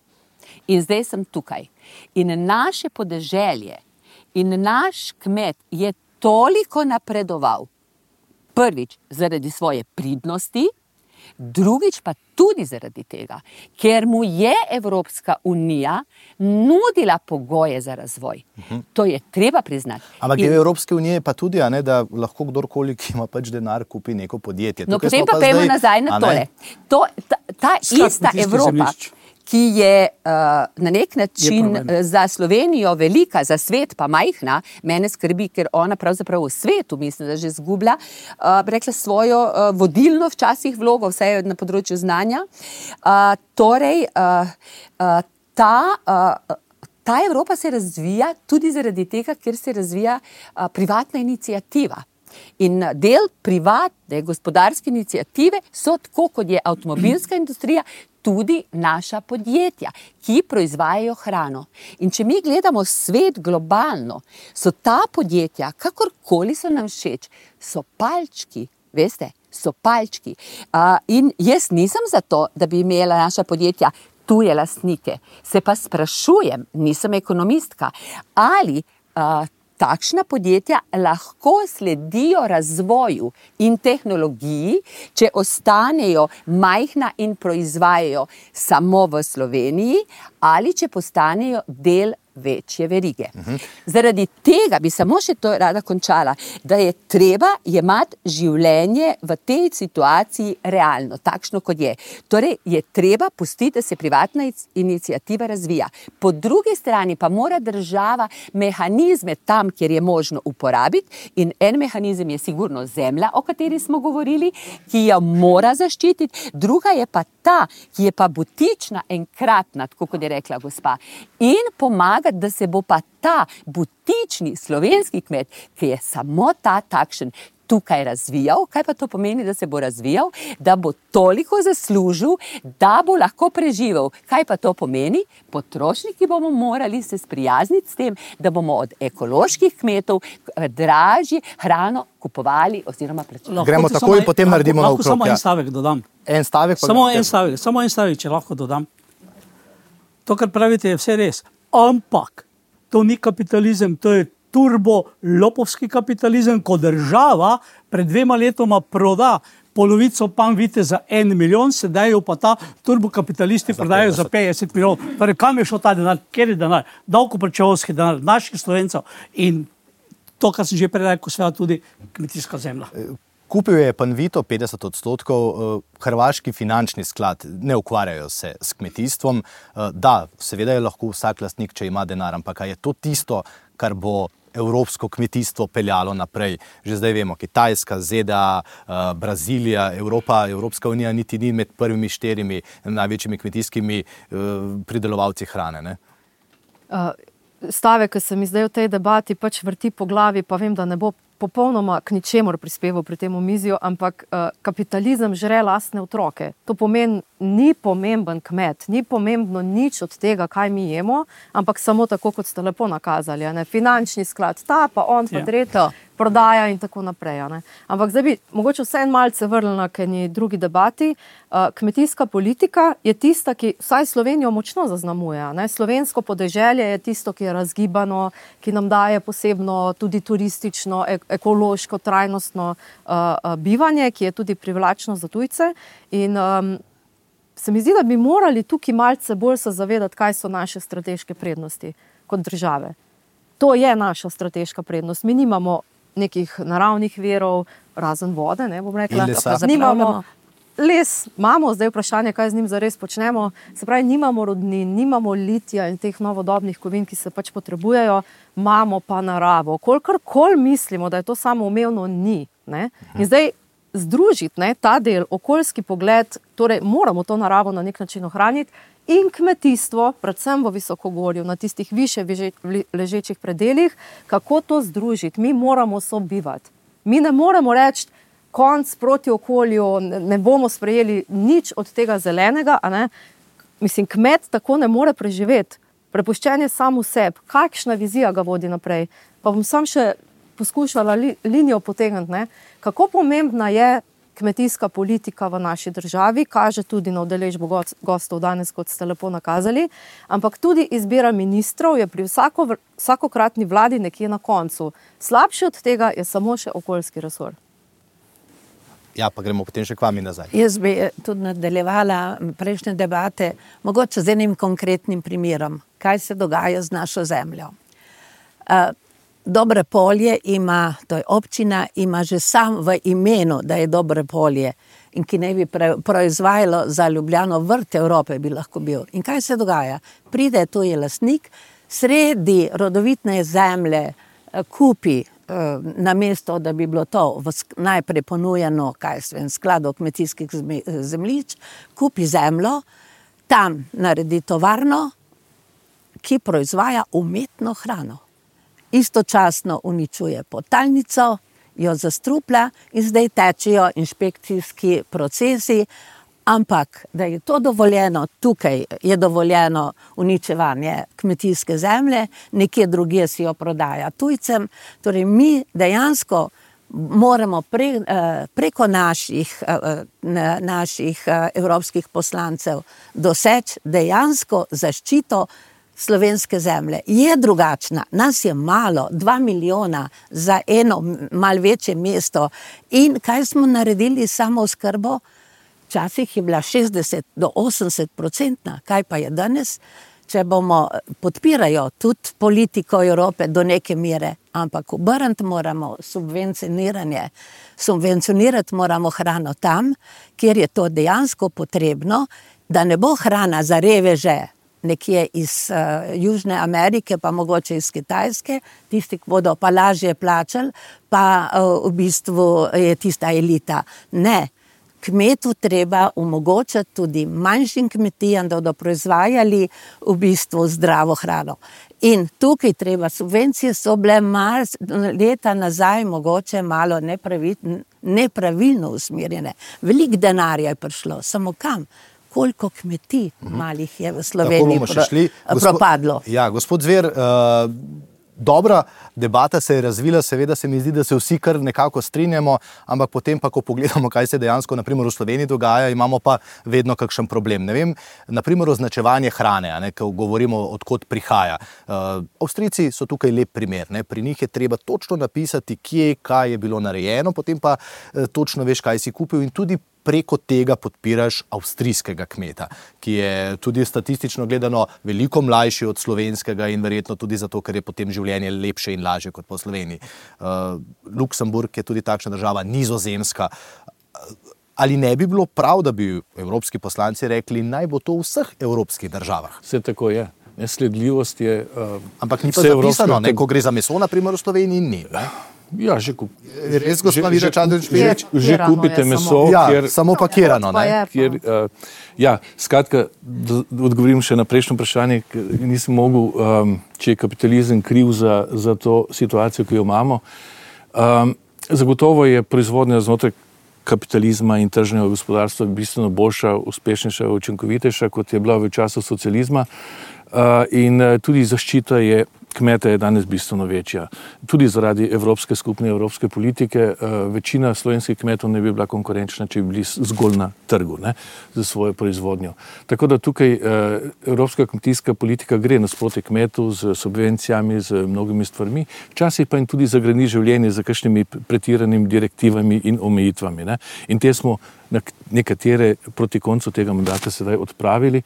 In zdaj sem tukaj. In naše podeželje in naš kmet je toliko napredoval, prvič zaradi svoje pridnosti, drugič pa tudi zaradi tega, ker mu je Evropska unija nudila pogoje za razvoj. Uh-huh. To je treba priznati. Ampak In... v Evropske unije pa tudi, a ne, da lahko kdorkoli, ki ima pač denar, kupi neko podjetje. No, Tukaj potem pa pa pejmo zdaj, nazaj na tole. To, ta ta ista Evropa, zemljišč, ki je uh, na nek način uh, za Slovenijo velika, za svet pa majhna, mene skrbi, ker ona pravzaprav v svetu, mislim, da že zgublja, uh, rekla svojo uh, vodilno včasih vlogo, vse na področju znanja. Uh, torej, uh, uh, ta, uh, ta Evropa se razvija tudi zaradi tega, ker se razvija uh, privatna iniciativa. In del privatne gospodarske iniciative so, tako kot je avtomobilska industrija, tudi naša podjetja, ki proizvajajo hrano. In če mi gledamo svet globalno, so ta podjetja, kakorkoli so nam všeč, so palčki, veste, so palčki. Uh, in jaz nisem za to, da bi imela naša podjetja tuje lastnike. Se pa sprašujem, nisem ekonomistka, ali uh, takšna podjetja lahko sledijo razvoju in tehnologiji, če ostanejo majhna in proizvajajo samo v Sloveniji, ali če postanejo del večje verige. Uh-huh. Zaradi tega bi samo še to rada končala, da je treba jemati življenje v tej situaciji realno, takšno kot je. Torej je treba pustiti, da se privatna iniciativa razvija. Po drugi strani pa mora država mehanizme tam, kjer je možno uporabiti, in en mehanizem je sigurno zemlja, o kateri smo govorili, ki jo mora zaščititi, druga je pa ta, ki je pa butična, enkratna, tako kot je rekla gospa, in pomaga, da se bo pa ta butični slovenski kmet, ki je samo ta takšen, tukaj razvijal. Kaj pa to pomeni, da se bo razvijal? Da bo toliko zaslužil, da bo lahko preživel. Kaj pa to pomeni? Potrošniki bomo morali se sprijazniti s tem, da bomo od ekoloških kmetov dražje hrano kupovali oziroma plačevali. Gremo takoj in potem naredimo na okrog. Samo en stavek dodam. En stavek pa samo en stavek, samo en stavek, če lahko dodam. To, kar pravite, je vse res. Ampak to ni kapitalizem, to je turbo-lopovski kapitalizem, ko država pred dvema letoma proda polovico Panvite za en milijon, sedaj jo pa ta turbokapitalisti prodajo za petdeset milijonov. Torej, kam je šel ta denar? Kjer je denar? Davkoplačevalski denar naših Slovencev in to, kar sem že prej rekel, seveda tudi kmetijska zemlja. Kupil je Panvito petdeset odstotkov, hrvaški finančni sklad, ne ukvarjajo se s kmetijstvom. Da, seveda je lahko vsak lastnik, če ima denar, ampak je to tisto, kar bo evropsko kmetijstvo peljalo naprej. Že zdaj vemo, Kitajska, Z D A, Brazilija, Evropa, Evropska unija niti ni med prvimi štirimi največjimi kmetijskimi pridelovalci hrane, ne? Stavek, ki se mi zdaj v tej debati pač vrti po glavi, pa vem, da ne bo popolnoma k ničemur prispeval pri tem omizju, ampak uh, kapitalizem žre lastne otroke. To pomeni, ni pomemben kmet, ni pomembno nič od tega, kaj mi jemo, ampak samo tako, kot ste lepo nakazali. Ne? Finančni sklad ta, pa on, pa tretjo, prodaja in tako naprej. Ne? Ampak zdaj bi mogoče vse en malce vrnila k eni drugi debati. Uh, kmetijska politika je tista, ki vsaj Slovenijo močno zaznamuje. Ne? Slovensko podeželje je tisto, ki je razgibano, ki nam daje posebno tudi turistično, ek ekološko, trajnostno uh, uh, bivanje, ki je tudi privlačno za tujce. In um, se mi zdi, da bi morali tukaj malce bolj se zavedati, kaj so naše strateške prednosti kot države. To je naša strateška prednost. Mi nimamo nekih naravnih virov, razen vode, ne bom rekla. Nimamo les, imamo, zdaj vprašanje, kaj z njim zares počnemo. Se pravi, nimamo rodnin, nimamo litija in teh novodobnih kovin, ki se pač potrebujejo, imamo pa naravo. Kolikor mislimo, da je to samoumevno, ni. Ne? In zdaj združiti ne, ta del, okoljski pogled, torej moramo to naravo na nek način ohraniti in kmetijstvo, predvsem v visokogorju, na tistih više ležečih predeljih, kako to združiti. Mi moramo sobivati. Mi ne moremo reči, konc proti okolju, ne bomo sprejeli nič od tega zelenega, a ne? Mislim, kmet tako ne more preživeti. Prepuščen je sam v sebi. Kakšna vizija ga vodi naprej? Pa bom sam še poskušala li, linijo potegniti, ne? Kako pomembna je kmetijska politika v naši državi, kaže tudi na udeležbo gostov danes, kot ste lepo nakazali, ampak tudi izbira ministrov je pri vsako, vsakokratni vladi nekje na koncu. Slabše od tega je samo še okoljski resor. Ja, pa gremo potem še k vami nazaj. Jaz bi tudi nadaljevala prejšnje debate, mogoče z enim konkretnim primerom, kaj se dogaja z našo zemljo. Uh, Dobre polje ima, to je občina, ima že sam v imenu, da je Dobre polje in ki ne bi proizvajalo za Ljubljano vrt Evrope bi lahko bil. In kaj se dogaja? Pride tuji lastnik, sredi rodovitne zemlje kupi na mesto, da bi bilo to najprej ponujeno, kaj svem, skladov kmetijskih zemljišč, kupi zemljo, tam naredi tovarno, ki proizvaja umetno hrano. Istočasno uničuje potalnico, jo zastruplja in zdaj tečejo inšpekcijski procesi, ampak da je to dovoljeno, tukaj je dovoljeno uničevanje kmetijske zemlje, nekje drugje si jo prodaja tujcem. Torej mi dejansko moramo pre, preko naših, naših evropskih poslancev doseči dejansko zaščito slovenske zemlje. Je drugačna, nas je malo, dva milijona za eno malo večje mesto. In kaj smo naredili samo oskrbo? Včasih je bila šestdeset do osemdeset procentna, kaj pa je danes? Če bomo podpirajo tudi politiko Evrope do neke mere, ampak obrniti moramo subvencioniranje. Subvencionirati moramo hrano tam, kjer je to dejansko potrebno, da ne bo hrana za reveže, nekje iz uh, Južne Amerike, pa mogoče iz Kitajske, tisti, ki bodo pa lažje plačali, pa uh, v bistvu je tista elita. Ne, kmetu treba omogočati tudi manjšim kmetijam, da bodo proizvajali v bistvu zdravo hrano. In tukaj treba, subvencije so bile mal, leta nazaj mogoče malo nepravi, nepravilno usmerjene. Veliko denarja je prišlo, samo kam? Koliko kmetij malih je v Sloveniji pro, propadlo? Ja, gospod Zver, uh, dobra debata se je razvila, seveda se mi zdi, da se vsi kar nekako strinjamo, ampak potem pa, ko pogledamo, kaj se dejansko naprimer v Sloveniji dogaja, imamo pa vedno kakšen problem. Ne vem, naprimer označevanje hrane, a ne, ko govorimo, odkot prihaja. Uh, Avstrijci so tukaj lep primer, ne, pri njih je treba točno napisati, kje, kaj je bilo narejeno, potem pa uh, točno veš, kaj si kupil in tudi preko tega podpiraš avstrijskega kmeta, ki je tudi statistično gledano veliko mlajši od slovenskega in verjetno tudi zato, ker je potem življenje lepše in lažje kot po Sloveniji. Uh, Luksemburg je tudi takšna država, Nizozemska. Ali ne bi bilo prav, da bi evropski poslanci rekli, naj bo to v vseh evropskih državah? Vse tako je. Nesledljivost je... Uh, Ampak ni pa zapisano, ne, ko gre za meso, naprimer v Sloveniji, ni. Ne? Ja, že kup... Res, gospod Vida Čadonič-Špelič? Že kupite meso, ja, kjer... samo pakirano, ne? Kjer, uh, ja, skratka, da odgovorim še na prejšnjo vprašanje, nisem mogel, um, če je kapitalizem kriv za, za to situacijo, ki jo imamo. Um, zagotovo je proizvodnja znotraj kapitalizma in tržnega gospodarstva bistveno boljša, uspešnejša, učinkovitejša, kot je bila v času socializma. Uh, in uh, tudi zaščita je kmeta je danes bistveno večja. Tudi zaradi evropske skupne evropske politike uh, večina slovenskih kmetov ne bi bila konkurenčna, če bi bili zgolj na trgu, ne, za svojo proizvodnjo. Tako da tukaj uh, evropska kmetijska politika gre nasproti kmetu z subvencijami, z mnogimi stvarmi, včasih pa jim tudi zagrani življenje za kakšnimi pretiranimi direktivami in omejitvami. Ne. In te smo nekatere proti koncu tega mandata sedaj odpravili.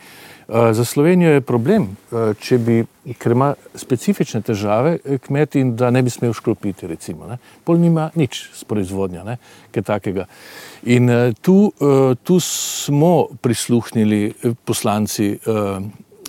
Za Slovenijo je problem, če bi, ker ima specifične težave kmet in da ne bi smel škropiti, recimo. Ne. Pol nima nič s proizvodnjo, ne, kaj takega. In tu, tu smo prisluhnili poslanci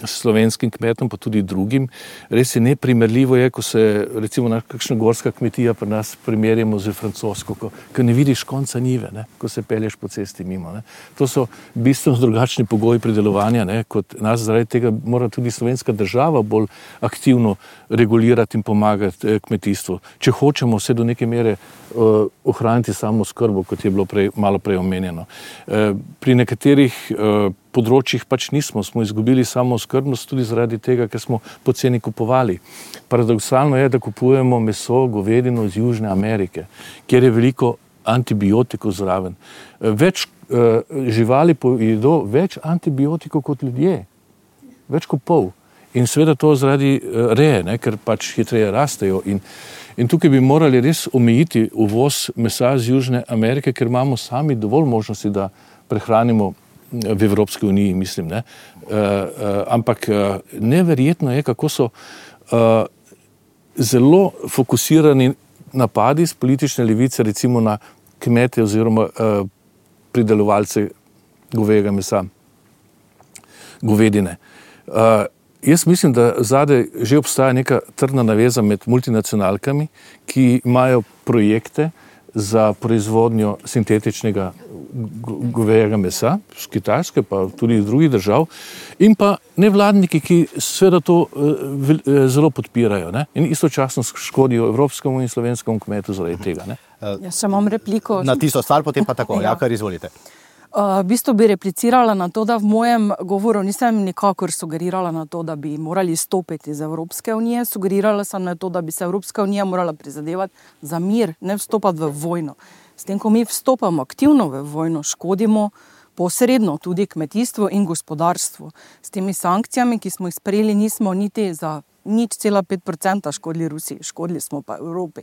slovenskim kmetom, pa tudi drugim. Res je neprimerljivo je, ko se recimo kakšna gorska kmetija pri nas primerjamo z francosko, ko, ko ne vidiš konca njive, ne, ko se pelješ po cesti mimo. Ne. To so bistveno drugačni pogoji pridelovanja, ne, kot nas, zaradi tega mora tudi slovenska država bolj aktivno regulirati in pomagati kmetijstvu. Če hočemo vse do neke mere uh, ohraniti samo skrbo, kot je bilo prej, malo prej omenjeno. Uh, pri nekaterih uh, področjih pač nismo, smo izgubili samo skrbnost tudi zaradi tega, ker smo poceni kupovali. Paradoksalno je, da kupujemo meso, govedino iz Južne Amerike, kjer je veliko antibiotikov zraven. Več uh, živali pojedo več antibiotikov kot ljudje. Več kot pol. In seveda to zaradi uh, reje, ne, ker pač hitreje rastejo. In, in tukaj bi morali res omejiti uvoz mesa iz Južne Amerike, ker imamo sami dovolj možnosti, da prehranimo v Evropski uniji, mislim, ne. Uh, uh, ampak uh, neverjetno je, kako so uh, zelo fokusirani napadi z politične levice, recimo na kmete oziroma uh, pridelovalce govejega mesa, govedine. Uh, jaz mislim, da zadaj že obstaja neka trdna naveza med multinacionalkami, ki imajo projekte za proizvodnjo sintetičnega govejega mesa, z Kitajske, pa tudi iz drugih držav, in pa nevladniki, ki seveda to uh, zelo podpirajo, ne? In istočasno škodijo evropskemu in slovenskemu kmetu zaradi tega. Ne? Jaz sem imam repliko. Na tisto stvar, potem pa tako, ja, kar izvolite. Uh, v bistvu bi replicirala na to, da v mojem govoru nisem nikakor sugerirala na to, da bi morali stopiti iz Evropske unije, sugerirala sem na to, da bi se Evropska unija morala prizadevati za mir, ne vstopati v vojno. S tem, ko mi vstopamo aktivno v vojno, škodimo posredno tudi kmetijstvo in gospodarstvo. S temi sankcijami, ki smo jih sprejeli, nismo niti za nič cela pet procenta škodili Rusiji, škodili smo pa Evropi.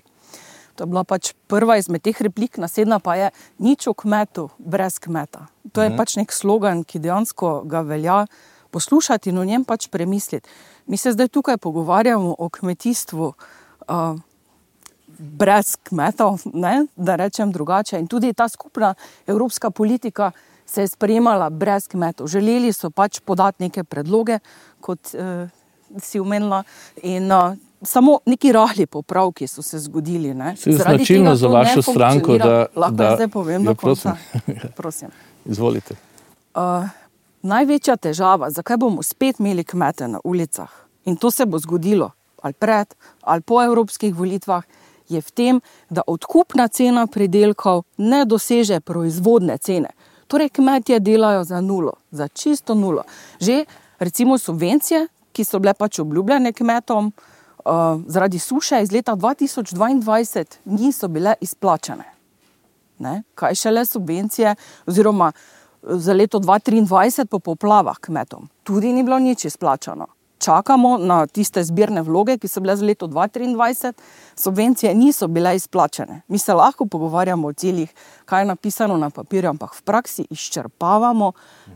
To je bila pač prva izmed teh replik, naslednja pa je nič o kmetu brez kmeta. To je pač nek slogan, ki dejansko ga velja poslušati in o njem pač premisliti. Mi se zdaj tukaj pogovarjamo o kmetijstvu uh, brez kmetov, ne, da rečem drugače. In tudi ta skupna evropska politika se je sprejemala brez kmetov. Želeli so pač podati neke predloge, kot uh, si omenila, in uh, samo neki rahli popravki so se zgodili. Ne? Se je značilno za vašo stranko, da... Lahko da, zdaj povem ja, do konca. prosim. Prosim. Izvolite. Uh, največja težava, zakaj bomo spet imeli kmete na ulicah, in to se bo zgodilo ali pred ali po evropskih volitvah, je v tem, da odkupna cena pridelkov ne doseže proizvodne cene. Torej kmetje delajo za nulo, za čisto nulo. Že recimo subvencije, ki so bile pač obljubljene kmetom, uh, zaradi suše iz leta dva tisoč dvaindvajset niso bile izplačane. Ne? Kaj šele subvencije oziroma za leto dva tisoč triindvajset po poplavah kmetom. Tudi ni bilo nič izplačano. Čakamo na tiste zbirne vloge, ki so bile za leto dva tisoč triindvajset, subvencije niso bile izplačene. Mi se lahko pogovarjamo o ciljih, kaj je napisano na papirju, ampak v praksi izčrpavamo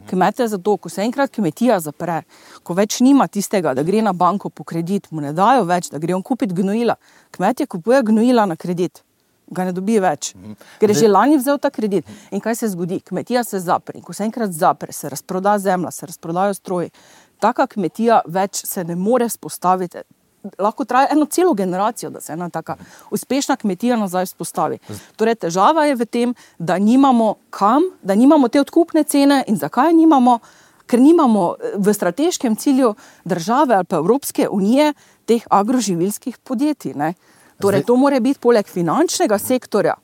kmete zato, ko se enkrat kmetija zapre, ko več nima tistega, da gre na banko po kredit, mu ne dajo več, da gre on kupiti gnojila. Kmetje kupuje gnojila na kredit, ga ne dobi več, ker je že lani vzel ta kredit. In kaj se zgodi? Kmetija se zapre. In ko se enkrat zapre, se razproda zemlja, se razprodajo stroji. Taka kmetija več se ne more spostaviti. Lahko traja eno celo generacijo, da se ena taka uspešna kmetija nazaj spostavi. Torej, težava je v tem, da nimamo kam, da nimamo te odkupne cene. In zakaj nimamo? Ker nimamo v strateškem cilju države ali pa Evropske unije teh agroživilskih podjetij. Ne? Torej, to mora biti poleg finančnega sektorja,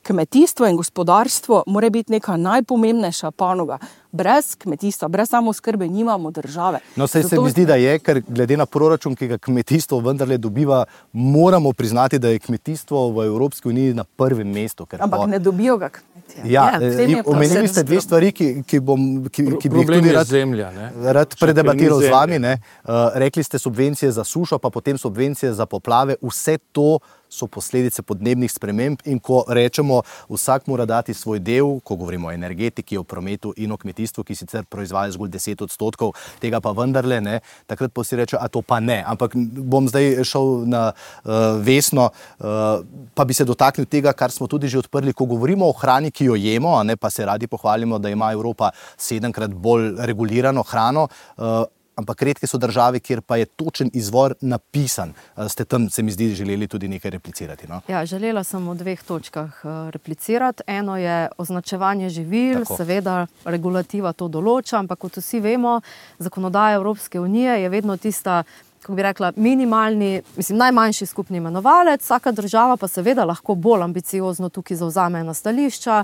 kmetijstvo in gospodarstvo mora biti neka najpomembnejša panoga. Brez kmetijstva, brez samooskrbe nimamo države. No, saj Zato... se mi zdi, da je, ker glede na proračun, ki ga kmetijstvo vendarle dobiva, moramo priznati, da je kmetijstvo v Evropski uniji na prvem mestu. Ker Ampak po... ne dobijo ga kmetija. Ja, Ja, omenili ste dve stvari, ki, ki, bom, ki, ki bi jih Problem tudi je rad, zemlja, ne? rad predebatiral Še ker ni z vami. zemlje. Ne? Uh, rekli ste subvencije za sušo, pa potem subvencije za poplave. Vse to so posledice podnebnih sprememb in ko rečemo, vsak mora dati svoj del, ko govorimo o energetiki, o prometu in o kmetijstvu, ki sicer proizvaja zgolj deset odstotkov, tega pa vendarle ne, takrat pa si reče, a to pa ne. Ampak bom zdaj šel na uh, Vesno, uh, pa bi se dotaknil tega, kar smo tudi že odprli, ko govorimo o hrani, ki jo jemo, a ne, pa se radi pohvalimo, da ima Evropa sedemkrat bolj regulirano hrano, uh, ampak redke so države, kjer pa je točen izvor napisan. Ste tam, se mi zdi, želeli tudi nekaj replicirati, no? Ja, želela sem v dveh točkah replicirati. Eno je označevanje živil, Tako. Seveda regulativa to določa, ampak kot vsi vemo, zakonodaja Evropske unije je vedno tista, kako bi rekla, minimalni, mislim, najmanjši skupni imenovalec, vsaka država pa seveda lahko bolj ambiciozno tukaj zavzame na stališča,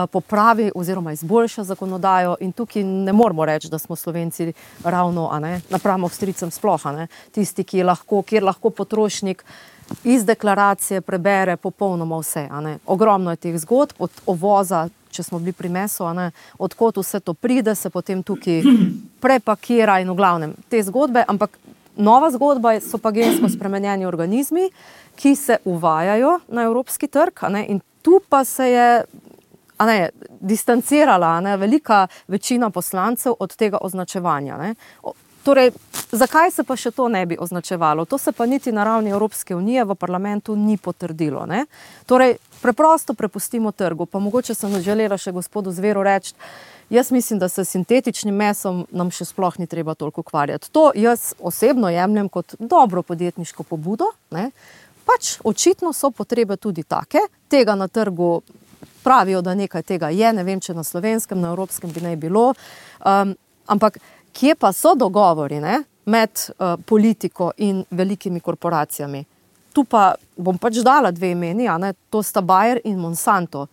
popravi oziroma izboljša zakonodajo in tukaj ne moramo reči, da smo Slovenci ravno, a ne, napram Avstrijcem sploh, a ne, tisti, ki lahko, kjer lahko potrošnik iz deklaracije prebere popolnoma vse, a ne. Ogromno je teh zgodb, od ovoza, če smo bili pri mesu, a ne, odkot vse to pride, se potem tukaj prepakira in v glavnem te zgodbe, ampak nova zgodba so pa gensko spremenjeni organizmi, ki se uvajajo na evropski trg, a ne, in tu pa se je, a ne, distancirala, a ne, velika večina poslancev od tega označevanja, ne. O, torej, zakaj se pa še to ne bi označevalo? To se pa niti na ravni Evropske unije v parlamentu ni potrdilo, ne. Torej, preprosto prepustimo trgu, pa mogoče sem želela še gospodu Zveru reči, jaz mislim, da se sintetičnim mesom nam še sploh ni treba toliko ukvarjati. To jaz osebno jemljem kot dobro podjetniško pobudo, ne. Pač očitno so potrebe tudi take, tega na trgu pravijo, da nekaj tega je, ne vem, če na slovenskem, na evropskem bi naj bilo, um, ampak kje pa so dogovori, ne, med uh, politiko in velikimi korporacijami? Tu pa bom pač dala dve imeni, a ne, to sta Bayer in Monsanto.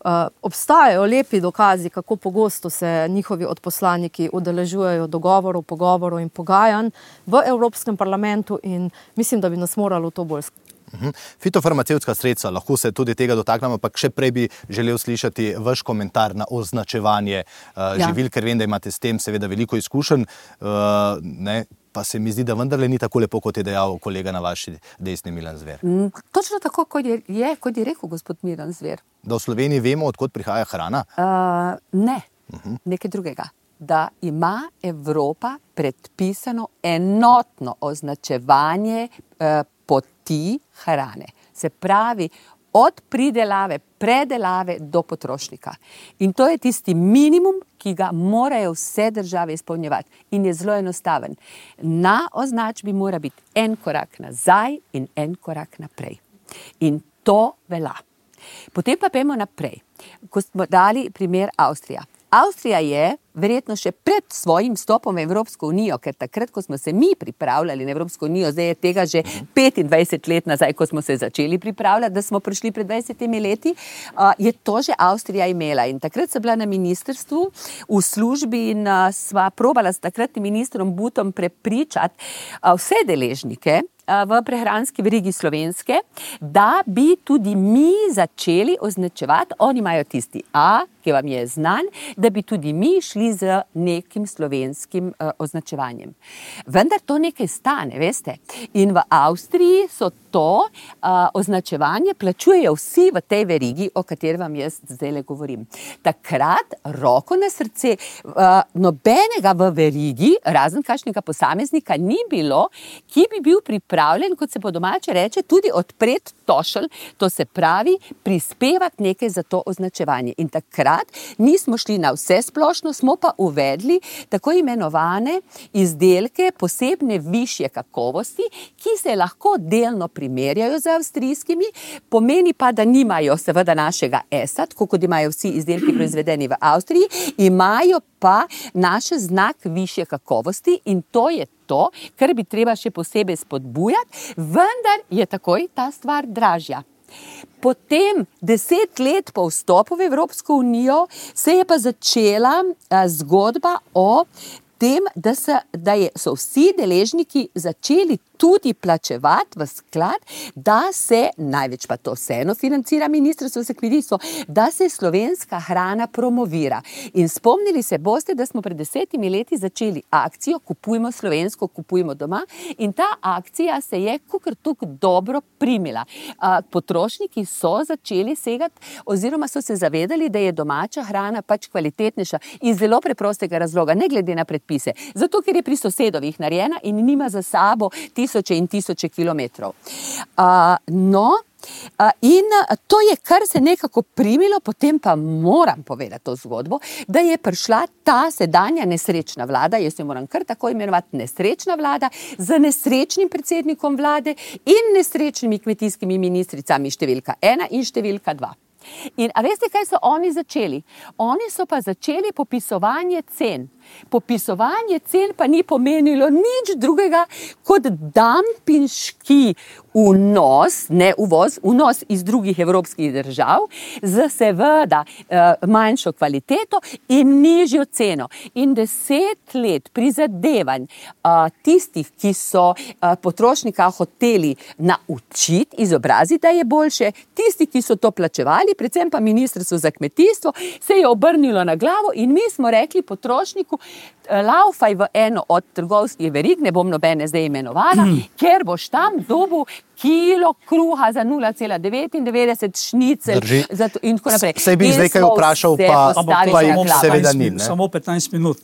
Uh, obstajajo lepi dokazi, kako pogosto se njihovi odposlaniki udeležujejo dogovorov, pogovorov in pogajanj v Evropskem parlamentu in mislim, da bi nas moralo to bolj skrbeti. Uh-huh. Fitofarmacevtska sredstva, lahko se tudi tega dotaknemo, ampak še prej bi želel slišati vaš komentar na označevanje uh, Ja. živil, ker vem, da imate s tem seveda veliko izkušenj, uh, ne, pa se mi zdi, da vendarle ni tako lepo, kot je dejal kolega na vaši desni Milan Zver. Mm, Točno tako, kot je, je, kot je rekel gospod Milan Zver. Da v Sloveniji vemo, odkot prihaja hrana? Uh, ne, uh-huh. Nekaj drugega. Da ima Evropa predpisano enotno označevanje uh, poti hrane. Se pravi, od pridelave, predelave do potrošnika. In to je tisti minimum, ki ga morajo vse države izpolnjevati. In je zelo enostaven. Na označbi mora biti en korak nazaj in en korak naprej. In to velja. Potem pa pojmo naprej. Ko smo dali primer Avstrija. Avstrija je verjetno še pred svojim vstopom v Evropsko unijo, ker takrat, ko smo se mi pripravljali na Evropsko unijo, zdaj je tega že petindvajset let nazaj, ko smo se začeli pripravljati, da smo prišli pred dvajsetimi leti, je to že Avstrija imela. In takrat sem bila na ministrstvu v službi in sva probala s takratnim ministrom Butom prepričati vse deležnike v prehranski verigi slovenske, da bi tudi mi začeli označevati, oni imajo tisti A, ki vam je znan, da bi tudi mi šli z nekim slovenskim uh, označevanjem. Vendar to nekaj stane, veste. In v Avstriji so to uh, označevanje plačujejo vsi v tej verigi, o kateri vam jaz zdaj govorim. Takrat, roko na srce, uh, nobenega v verigi, razen kakšnega posameznika, ni bilo, ki bi bil pripravljen, kot se po domače reče, tudi odpreti tošelj, to se pravi, prispevati nekaj za to označevanje. In takrat nismo šli na vse splošno, smo pa uvedli tako imenovane izdelke posebne višje kakovosti, ki se lahko delno primerjajo z avstrijskimi, pomeni pa, da nimajo seveda našega esa, tako kot imajo vsi izdelki proizvedeni v Avstriji, imajo pa naš znak višje kakovosti in to je to, kar bi treba še posebej spodbujati, vendar je takoj ta stvar dražja. Potem, deset let po vstopu v Evropsko unijo, se je pa začela zgodba o tem, da, se, da je, so vsi deležniki začeli tudi plačevati v sklad, da se, največ pa to vseeno financira Ministrstvo za kmetijstvo, da se slovenska hrana promovira. In spomnili se boste, da smo pred desetimi leti začeli akcijo Kupujmo slovensko, kupujmo doma in ta akcija se je kakor tuk dobro primila. Potrošniki so začeli segati oziroma so se zavedali, da je domača hrana pač kvalitetnejša iz zelo preprostega razloga, ne glede na predpise. Zato, ker je pri sosedovih narejena in nima za sabo tisoče in tisoče kilometrov. Uh, no, uh, in to je, kar se nekako primilo, potem pa moram povedati to zgodbo, da je prišla ta sedanja nesrečna vlada, jaz jo moram kar tako imenovati nesrečna vlada, z nesrečnim predsednikom vlade in nesrečnimi kmetijskimi ministricami številka ena in številka dva. In a veste, kaj so oni začeli? Oni so pa začeli popisovanje cen. Popisovanje cen pa ni pomenilo nič drugega kot dampinški vnos, ne uvoz, vnos iz drugih evropskih držav z seveda manjšo kvaliteto in nižjo ceno. In deset let prizadevanj tistih, ki so potrošnika hoteli naučiti, izobraziti, da je boljše, tisti, ki so to plačevali, predvsem pa Ministrstvo za kmetijstvo, se je obrnilo na glavo in mi smo rekli potrošniku, laufaj v eno od trgovskih verig, ne bom nobene zdaj imenovala, mm. ker boš tam dobil kilo kruha za nula cela devetindevetdeset, šnicel zato, in tako naprej. Sej bi zdaj kaj vprašal, pa, pa jih seveda ni. Ne? Samo petnajst minut.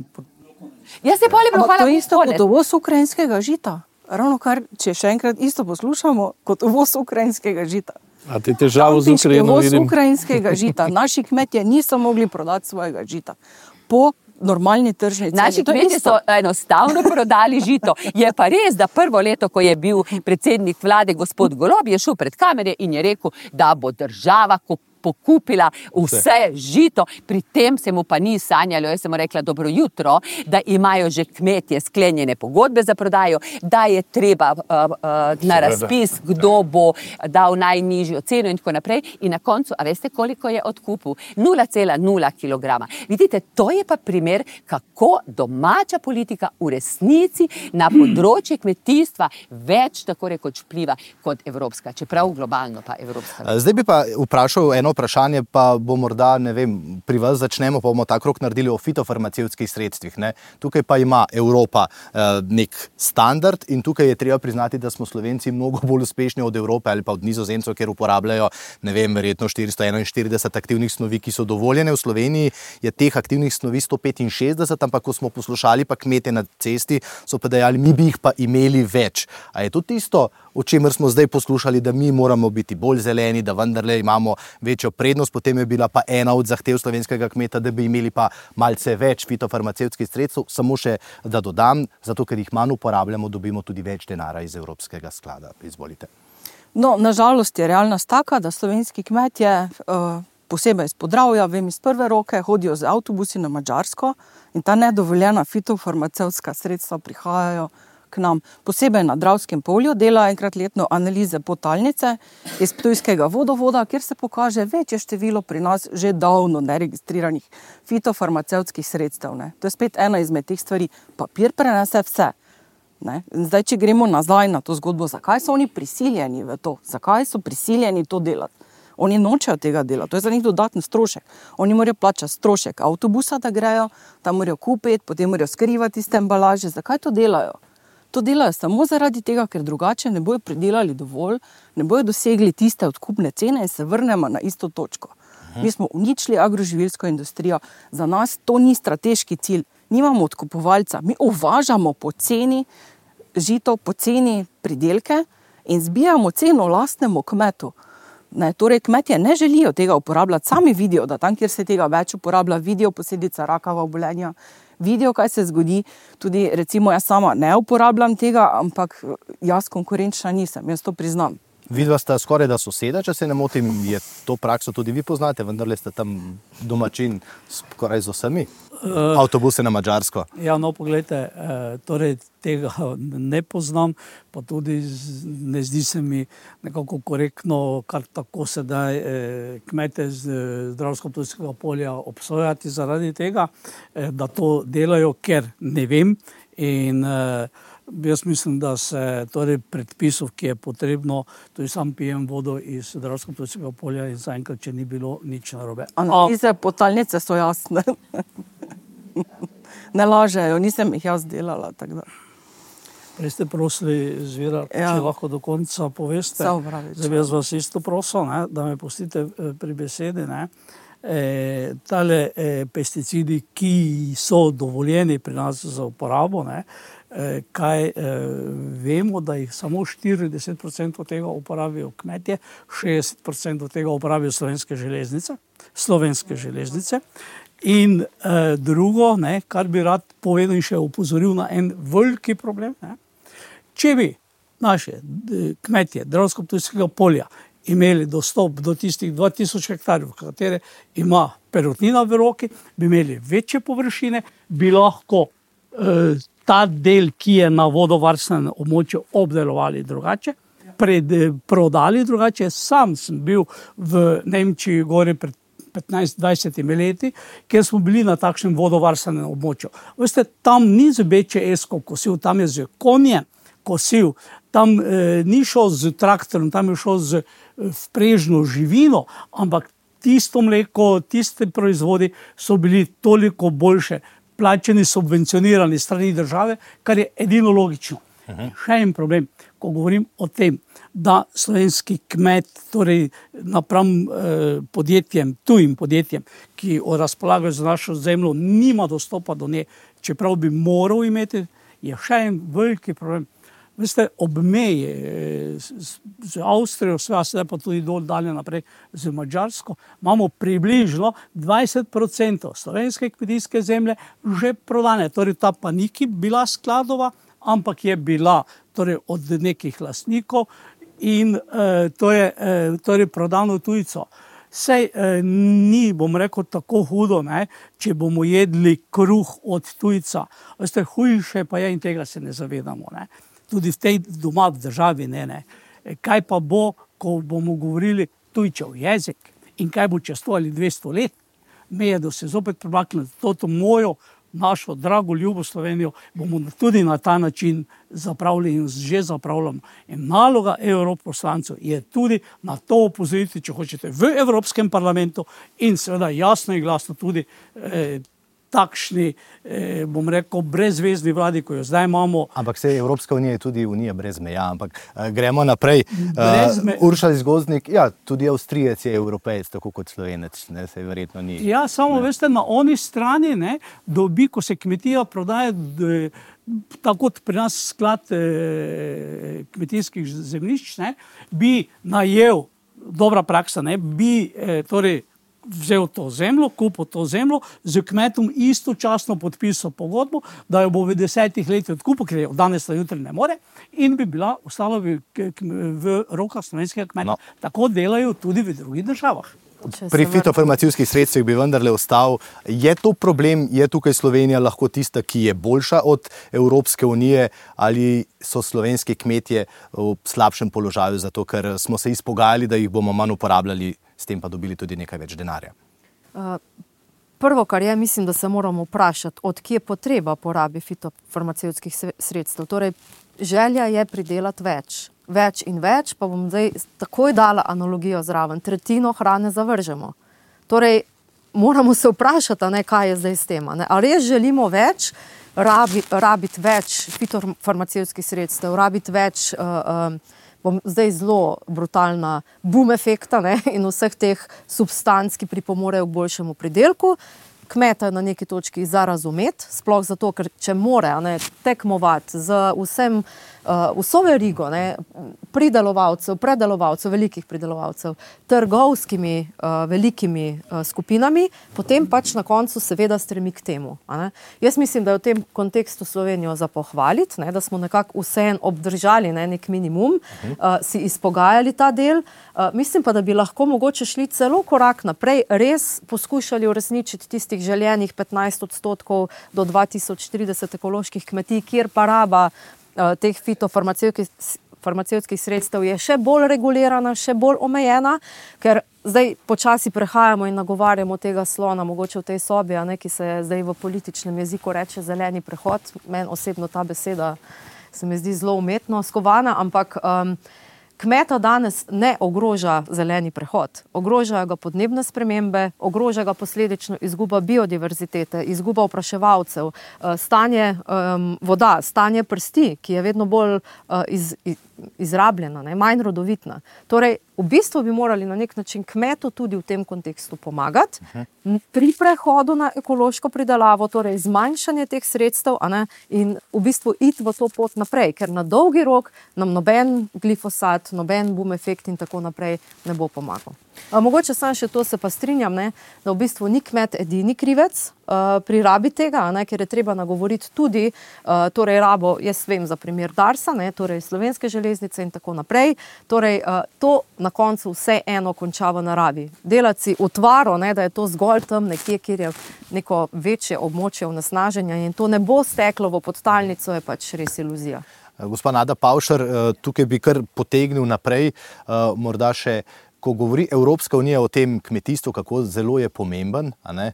Jaz se poli Ampak to je isto kot uvoz ukrajinskega žita. Ravno kar, če še enkrat isto poslušamo, kot uvoz ukrajinskega žita. A te težavo z Ukrajino vidim? vidim? Uvoz ukrajinskega žita. Naši kmetje niso mogli prodati svojega žita. Po normalni tržni ceni. Naši kmetje so enostavno prodali žito. Je pa res, da prvo leto, ko je bil predsednik vlade gospod Golob, je šel pred kamere in je rekel, da bo država pokupila vse žito, pri tem se mu pa ni sanjalo, jaz sem mu rekla dobro jutro, da imajo že kmetje sklenjene pogodbe za prodajo, da je treba uh, uh, na razpis, kdo bo dal najnižjo ceno in tako naprej. In na koncu, a veste, koliko je odkupil? nula cela nula kilograma. Vidite, to je pa primer, kako domača politika v resnici na področje kmetijstva več tako rekoč vpliva kot evropska, čeprav globalno pa evropska. Zdaj bi pa vprašal eno vprašanje pa bo morda, ne vem, pri vas začnemo, pa bomo ta krog naredili o fitofarmacevtskih sredstvih. Ne? Tukaj pa ima Evropa eh, nek standard in tukaj je treba priznati, da smo Slovenci mnogo bolj uspešni od Evrope ali pa od Nizozemcev, kjer uporabljajo, ne vem, verjetno štiristo enainštirideset aktivnih snovi, ki so dovoljene. V Sloveniji je teh aktivnih snovi sto petinšestdeset, ampak ko smo poslušali pa kmete na cesti, so pa dejali, mi bi jih pa imeli več. A je to tisto, o čemer smo zdaj poslušali, da mi moramo biti bolj zeleni, da vendarle imamo večjo prednost, potem je bila pa ena od zahtev slovenskega kmeta, da bi imeli pa malce več fitofarmacevtskih sredstev, samo še da dodam, zato ker jih manj uporabljamo, dobimo tudi več denara iz Evropskega sklada. Izvolite. No, nažalost je realnost taka, da slovenski kmetje, uh, posebej iz Podravja, vem iz prve roke, hodijo z avtobusi na Madžarsko in ta nedovoljena fitofarmacevtska sredstva prihajajo k nam. Posebej na Dravskem polju dela enkrat letno analize potalnice iz ptujskega vodovoda, kjer se pokaže večje število pri nas že davno neregistriranih fitofarmacevtskih sredstev. Ne. To je spet ena izmed teh stvari. Papir prenese vse. Ne. Zdaj, če gremo nazaj na to zgodbo, zakaj so oni prisiljeni v to? Zakaj so prisiljeni to delati? Oni nočejo tega dela, to je za njih dodatni strošek. Oni morajo plačati strošek avtobusa, da grejo, tam morajo kupiti, potem morajo skrivati tiste embalaže. Zakaj to delajo? To delajo samo zaradi tega, ker drugače ne bojo pridelali dovolj, ne bojo dosegli tiste odkupne cene in se vrnemo na isto točko. Mi smo uničili agroživilsko industrijo, za nas to ni strateški cilj. Nimamo odkupovalca, mi uvažamo poceni žito, poceni pridelke in zbijamo ceno lastnemu kmetu. Ne, torej kmetje ne želijo tega uporabljati, sami vidijo, da tam, kjer se tega več uporablja, vidijo posledica rakava obolenja, vidijo, kaj se zgodi. Tudi recimo jaz sama ne uporabljam tega, ampak jaz konkurenčna nisem, jaz to priznam. Vidva sta skoraj da soseda, če se ne motim, je to prakso tudi vi poznate, vendarle ste tam domačin skoraj z vsemi uh, avtobuse na Madžarsko. Ja, no, pogledajte, eh, torej tega ne poznam, pa tudi z, ne zdi se mi nekako korektno, kar tako sedaj eh, kmete z Dravsko-Ptujskega polja obsojati zaradi tega, eh, da to delajo, ker ne vem in eh, jaz mislim, da se torej predpisov, ki je potrebno, tudi sam pijem vodo iz Dravsko-Ptujskega polja in zaenkrat, če ni bilo nič narobe. Analize potalnice so jasne. Ne lažejo, nisem jih jaz delala, tako da. Prej ste prosili Zvira, ja. Če lahko do konca poveste. Zdaj jaz vas isto prosil, ne, da me pustite pri besedi. Ne. E, tale e, pesticidi, ki so dovoljeni pri nas za uporabo, ne, e, kaj e, vemo, da jih samo štirideset procentov tega uporabijo kmetje, šestdeset procentov tega uporabijo slovenske železnice, slovenske železnice. In eh, drugo, ne, kar bi rad povedal in še opozoril na en veliki problem, ne. Če bi naše kmetje Dravsko-Ptujskega polja imeli dostop do tistih dva tisoč hektarjev, katere ima perutnina v roki, bi imeli večje površine, bi lahko eh, ta del, ki je na vodovarstvenem območju, obdelovali drugače, pred, prodali drugače. Sam sem bil v Nemčiji gori pred petnajst dvajset leti, kjer smo bili na takšnem vodovarstvenem območju. Veste, tam ni z B Č S-ko kosil, tam je z konjem kosil, tam eh, ni šel z traktorom, tam je šel z vprežno živino, ampak tisto mleko, tiste proizvodi so bili toliko boljše, plačeni, subvencionirani strani države, kar je edino logično. Aha. Še en problem, ko govorim o tem, da slovenski kmet, torej napram eh, podjetjem, tujim podjetjem, ki razpolagajo z našo zemljo, nima dostopa do nje, čeprav bi moral imeti, je še en veliki problem. Veste, ob meji z, z Avstrijo, sedaj pa tudi dol dalje naprej z Madžarsko, imamo približno dvajset procentov slovenske kmetijske zemlje že prodane. Torej ta pa ni bila skladova, ampak je bila torej, od nekih lastnikov in eh, to je eh, torej, prodano tujco. Sej eh, ni, bom rekel, tako hudo, ne, če bomo jedli kruh od tujca. Veste, hujše pa je in tega se ne zavedamo. Ne. Tudi v tej doma v državi ne, ne. Kaj pa bo, ko bomo govorili tujčev jezik in kaj bo čez sto ali dvesto let, me je, da se zopet premaknili to mojo našo drago, ljubo Slovenijo bomo tudi na ta način zapravili in že zapravljamo. In naloga evroposlancev je tudi na to opozoriti, če hočete, v Evropskem parlamentu in seveda jasno in glasno tudi eh, takšni, eh, bom rekel, brezvezni vladi, ko jo zdaj imamo. Ampak se Evropska unija je tudi unija brez meja, ampak eh, gremo naprej. Me... Uh, Uršal Zgozdnik, ja, tudi Avstrijec je Evropejec, tako kot Slovenec, ne, se verjetno ni. Ja, samo ne. Veste, na oni strani, ne, dobi, ko se kmetija prodaja, de, tako kot pri nas sklad eh, kmetijskih zemljišč, ne, bi najel, dobra praksa, ne, bi eh, torej vzel to zemljo, kupil to zemljo, z kmetom istočasno podpisal pogodbo, da jo bo v desetih letih odkupil, ker je danes na jutri ne more, in bi bila ostala v, v rokah slovenskega kmeta. No. Tako delajo tudi v drugih državah. Pri fitofarmacijskih sredstvih bi vendarle ostal. Je to problem, je tukaj Slovenija lahko tista, ki je boljša od Evropske unije, ali so slovenski kmetje v slabšem položaju zato, ker smo se izpogajali, da jih bomo manj uporabljali, s tem pa dobili tudi nekaj več denarja? Uh, prvo, kar je, mislim, da se moramo vprašati, od kje potreba porabi fitofarmacevtskih sredstev. Torej, želja je pridelati več. Več in več, pa bom zdaj takoj dala analogijo zraven. Tretjino hrane zavržemo. Torej, moramo se vprašati, ne, kaj je zdaj s tem. Ne? A res želimo več, rabiti, rabiti več fitofarmacevtskih sredstev, rabiti več, uh, um, bom zdaj zelo brutalna, boom efekta, ne, in vseh teh substanc, ki pripomorejo k boljšemu pridelku. Kmeta na neki točki za razumeti, sploh zato, ker če more, ne, tekmovati z vsem, uh, vso verigo, ne, pridelovalcev, predelovalcev, velikih pridelovalcev, trgovskimi uh, velikimi uh, skupinami, potem pač na koncu seveda stremi k temu. A ne. Jaz mislim, da je v tem kontekstu Slovenijo za pohvaliti, ne, da smo nekako vseeno obdržali, ne, nek minimum, uh, si izpogajali ta del. Uh, mislim pa, da bi lahko mogoče šli celo korak naprej, res poskušali uresničiti tistih željenih petnajst odstotkov do dva tisoč trideset ekoloških kmetij, kjer pa raba uh, teh fitofarmacevtskih farmacevtskih sredstev je še bolj regulirana, še bolj omejena, ker zdaj počasi prehajamo in nagovarjamo tega slona, mogoče v tej sobi, a ne, ki se zdaj v političnem jeziku reče zeleni prehod. Meni osebno ta beseda se mi zdi zelo umetno skovana, ampak um, kmeta danes ne ogroža zeleni prehod. Ogrožajo ga podnebne spremembe, ogroža ga posledično izguba biodiverzitete, izguba opraševalcev, stanje um, voda, stanje prsti, ki je vedno bolj uh, iz, iz, izrabljena, ne, manj rodovitna. Torej, v bistvu bi morali na nek način kmetu tudi v tem kontekstu pomagati pri prehodu na ekološko pridelavo, torej zmanjšanje teh sredstev, a ne, in v bistvu iti v to pot naprej, ker na dolgi rok nam noben glifosat, noben boom efekt in tako naprej ne bo pomagal. A, mogoče sam še to se pa strinjam, ne, da v bistvu ni kmet edini krivec uh, pri rabi tega, ne, ker je treba nagovoriti tudi uh, torej rabo, jaz vem za primer Darsa, ne, torej Slovenske železnice in tako naprej. Torej, uh, to na koncu vse eno konča v naravi. Delati si utvaro, ne, da je to zgolj tam nekje, kjer je neko večje območje onesnaženja in to ne bo steklo v podtalnico, je pač res iluzija. Gospa Nada Pavšar, tukaj bi kar potegnil naprej, morda še, ko govori Evropska unija o tem kmetijstvu, kako zelo je pomemben, a ne,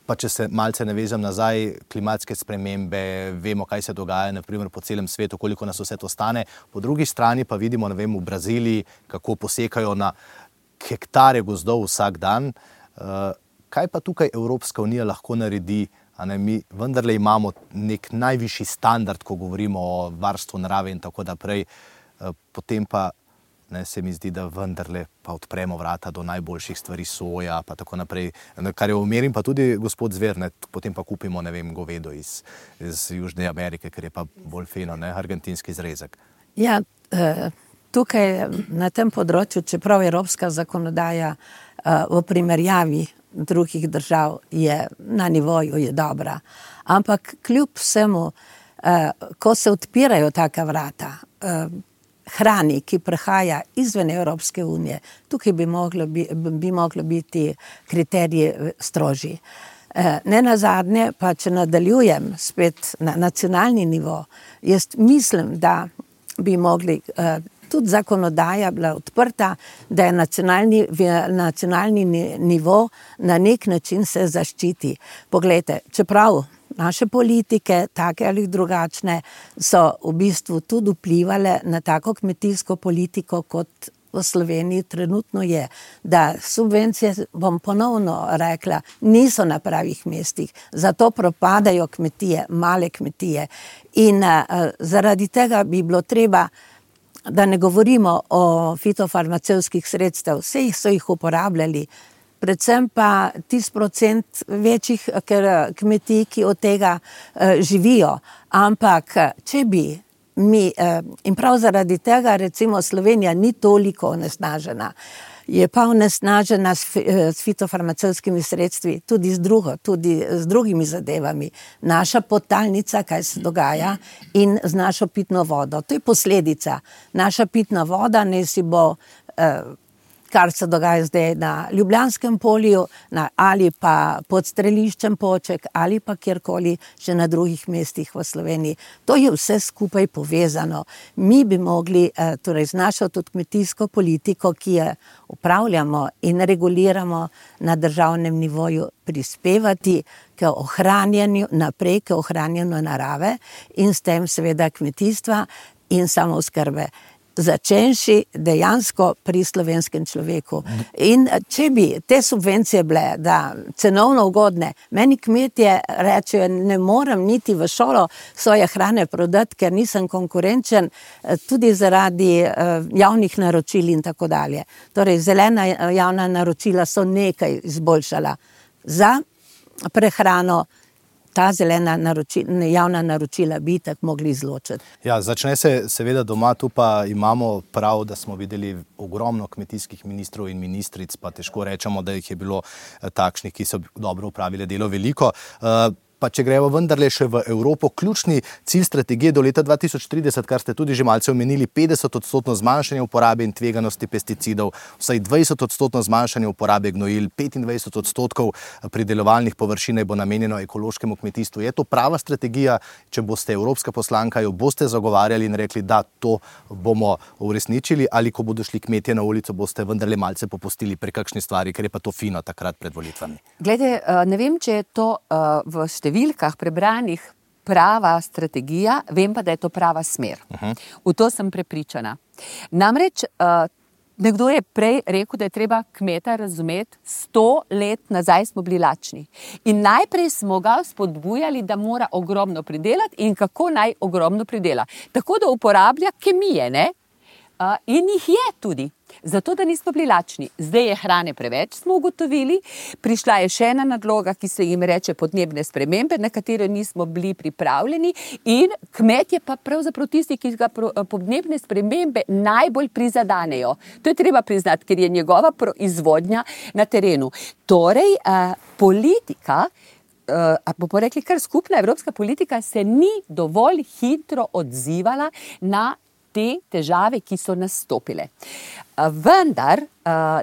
pa če se malce navežem nazaj, klimatske spremembe, vemo, kaj se dogaja, na primer po celem svetu, koliko nas vse to stane, po drugi strani pa vidimo, ne vem, v Braziliji, kako posekajo na hektare gozdov vsak dan. Kaj pa tukaj Evropska unija lahko naredi? A ne, mi vendarle imamo nek najvišji standard, ko govorimo o varstvu narave in tako naprej, potem pa ne, se mi zdi, da vendarle pa odpremo vrata do najboljših stvari, soja pa tako naprej, kar je omerim pa tudi gospod Zver, ne, potem pa kupimo, ne vem, govedo iz, iz Južne Amerike, ker je pa bolj fino, ne, argentinski zrezek. Ja, tukaj na tem področju, čeprav evropska zakonodaja v primerjavi drugih držav je na nivoju, je dobra. Ampak kljub vsemu, eh, ko se odpirajo taka vrata, eh, hrani, ki prihaja izven Evropske unije, tukaj bi moglo, bi, bi moglo biti kriteriji strožji. Eh, ne nazadnje, pa če nadaljujem spet na nacionalni nivo, jaz mislim, da bi mogli eh, tudi zakonodaja bila odprta, da je nacionalni, nacionalni nivo na nek način se zaščiti. Poglejte, čeprav naše politike, take ali drugačne, so v bistvu tudi vplivale na tako kmetijsko politiko, kot v Sloveniji trenutno je, da subvencije, bom ponovno rekla, niso na pravih mestih, zato propadajo kmetije, male kmetije. In uh, zaradi tega bi bilo treba, da ne govorimo o fitofarmacevtskih sredstev, vse jih so jih uporabljali, predvsem pa tisti procent večjih kmetij, ki od tega uh, živijo. Ampak, če bi mi, uh, in prav zaradi tega, recimo Slovenija ni toliko onesnažena, je pa onesnažena s, s fitofarmacevtskimi sredstvi, tudi z drugo, tudi z drugimi zadevami. Naša podtalnica, kaj se dogaja, in z našo pitno vodo. To je posledica. Naša pitna voda, ne si bo, eh, kar se dogaja zdaj na Ljubljanskem polju, na, ali pa pod streliščem Poček, ali pa kjerkoli še na drugih mestih v Sloveniji. To je vse skupaj povezano. Mi bi mogli, eh, torej z našo tudi kmetijsko politiko, ki je upravljamo in reguliramo na državnem nivoju, prispevati k ohranjanju, naprej k ohranjanju narave in s tem seveda kmetijstva in samooskrbe. Začenši dejansko pri slovenskem človeku. In če bi te subvencije bile, da cenovno ugodne, meni kmetje rečejo, ne morem niti v šolo svoje hrane prodati, ker nisem konkurenčen, tudi zaradi javnih naročil in tako dalje. Torej, zelena javna naročila so nekaj izboljšala za prehrano. Ta zelena naročila, javna naročila bi tako mogli izločiti. Ja, začne se seveda doma, tu pa imamo prav, da smo videli ogromno kmetijskih ministrov in ministric, pa težko rečemo, da jih je bilo takšnih, ki so dobro upravile delo, veliko. Pa če gremo vendarle še v Evropo, ključni cilj strategije do leta dva tisoč trideset, kar ste tudi že malce omenili, petdeset odstotno zmanjšanje uporabe in tveganosti pesticidov, vsaj dvajset odstotno zmanjšanje uporabe gnojil, petindvajset odstotkov pridelovalnih površin bo namenjeno ekološkemu kmetijstvu. Je to prava strategija? Če boste evropska poslanka, jo boste zagovarjali in rekli, da to bomo uresničili, ali ko bodo šli kmetje na ulico, boste vendarle malce popustili pri kakšni stvari, ker je pa to fino takrat pred volitvami? Glede, ne vem, če je to uh, v številkah prebranih prava strategija, vem pa, da je to prava smer. Uh-huh. V to sem prepričana. Namreč, uh, nekdo je prej rekel, da je treba kmeta razumeti, sto let nazaj smo bili lačni. In najprej smo ga spodbujali, da mora ogromno pridelati in kako naj ogromno pridela. Tako da uporablja kemije, ne? Uh, in jih je tudi. Zato, da nismo bili lačni. Zdaj je hrane preveč, smo ugotovili. Prišla je še ena nadloga, ki se jim reče podnebne spremembe, na katero nismo bili pripravljeni, in kmetje pa pravzaprav tisti, ki ga podnebne spremembe najbolj prizadanejo. To je treba priznati, ker je njegova proizvodnja na terenu. Torej, uh, politika, uh, bomo rekli kar skupna evropska politika, se ni dovolj hitro odzivala na te težave, ki so nastopile. Vendar,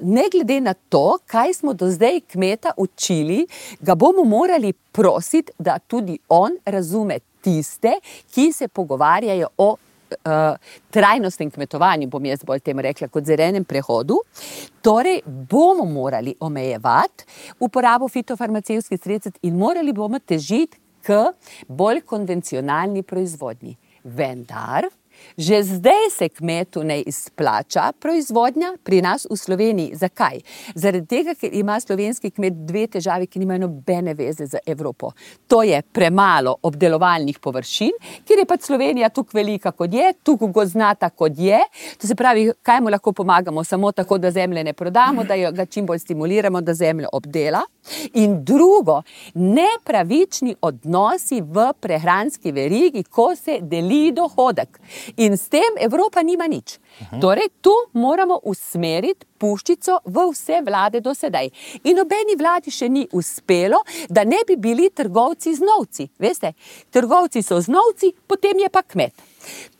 ne glede na to, kaj smo do zdaj kmeta učili, ga bomo morali prositi, da tudi on razume tiste, ki se pogovarjajo o uh, trajnostnem kmetovanju, bom jaz bolj tem rekla, kot zelenem prehodu. Torej, bomo morali omejevati uporabo fitofarmacevtskih sredstev in morali bomo težiti k bolj konvencionalni proizvodnji. Vendar, že zdaj se kmetu ne izplača proizvodnja pri nas v Sloveniji. Zakaj? Zaradi tega, ker ima slovenski kmet dve težavi, ki nimajo nobene veze z Evropo. To je premalo obdelovalnih površin, ker je pač Slovenija tukaj velika kot je, tukaj gozdnata kot je. To se pravi, kaj mu lahko pomagamo? Samo tako, da zemlje ne prodamo, da ga čim bolj stimuliramo, da zemljo obdela. In drugo, nepravični odnosi v prehranski verigi, ko se deli dohodek. In s tem Evropa nima nič. Uhum. Torej, tu moramo usmeriti puščico v vse vlade do sedaj. In nobeni vladi še ni uspelo, da ne bi bili trgovci z novci. Veste, trgovci so z novci, potem je pa kmet.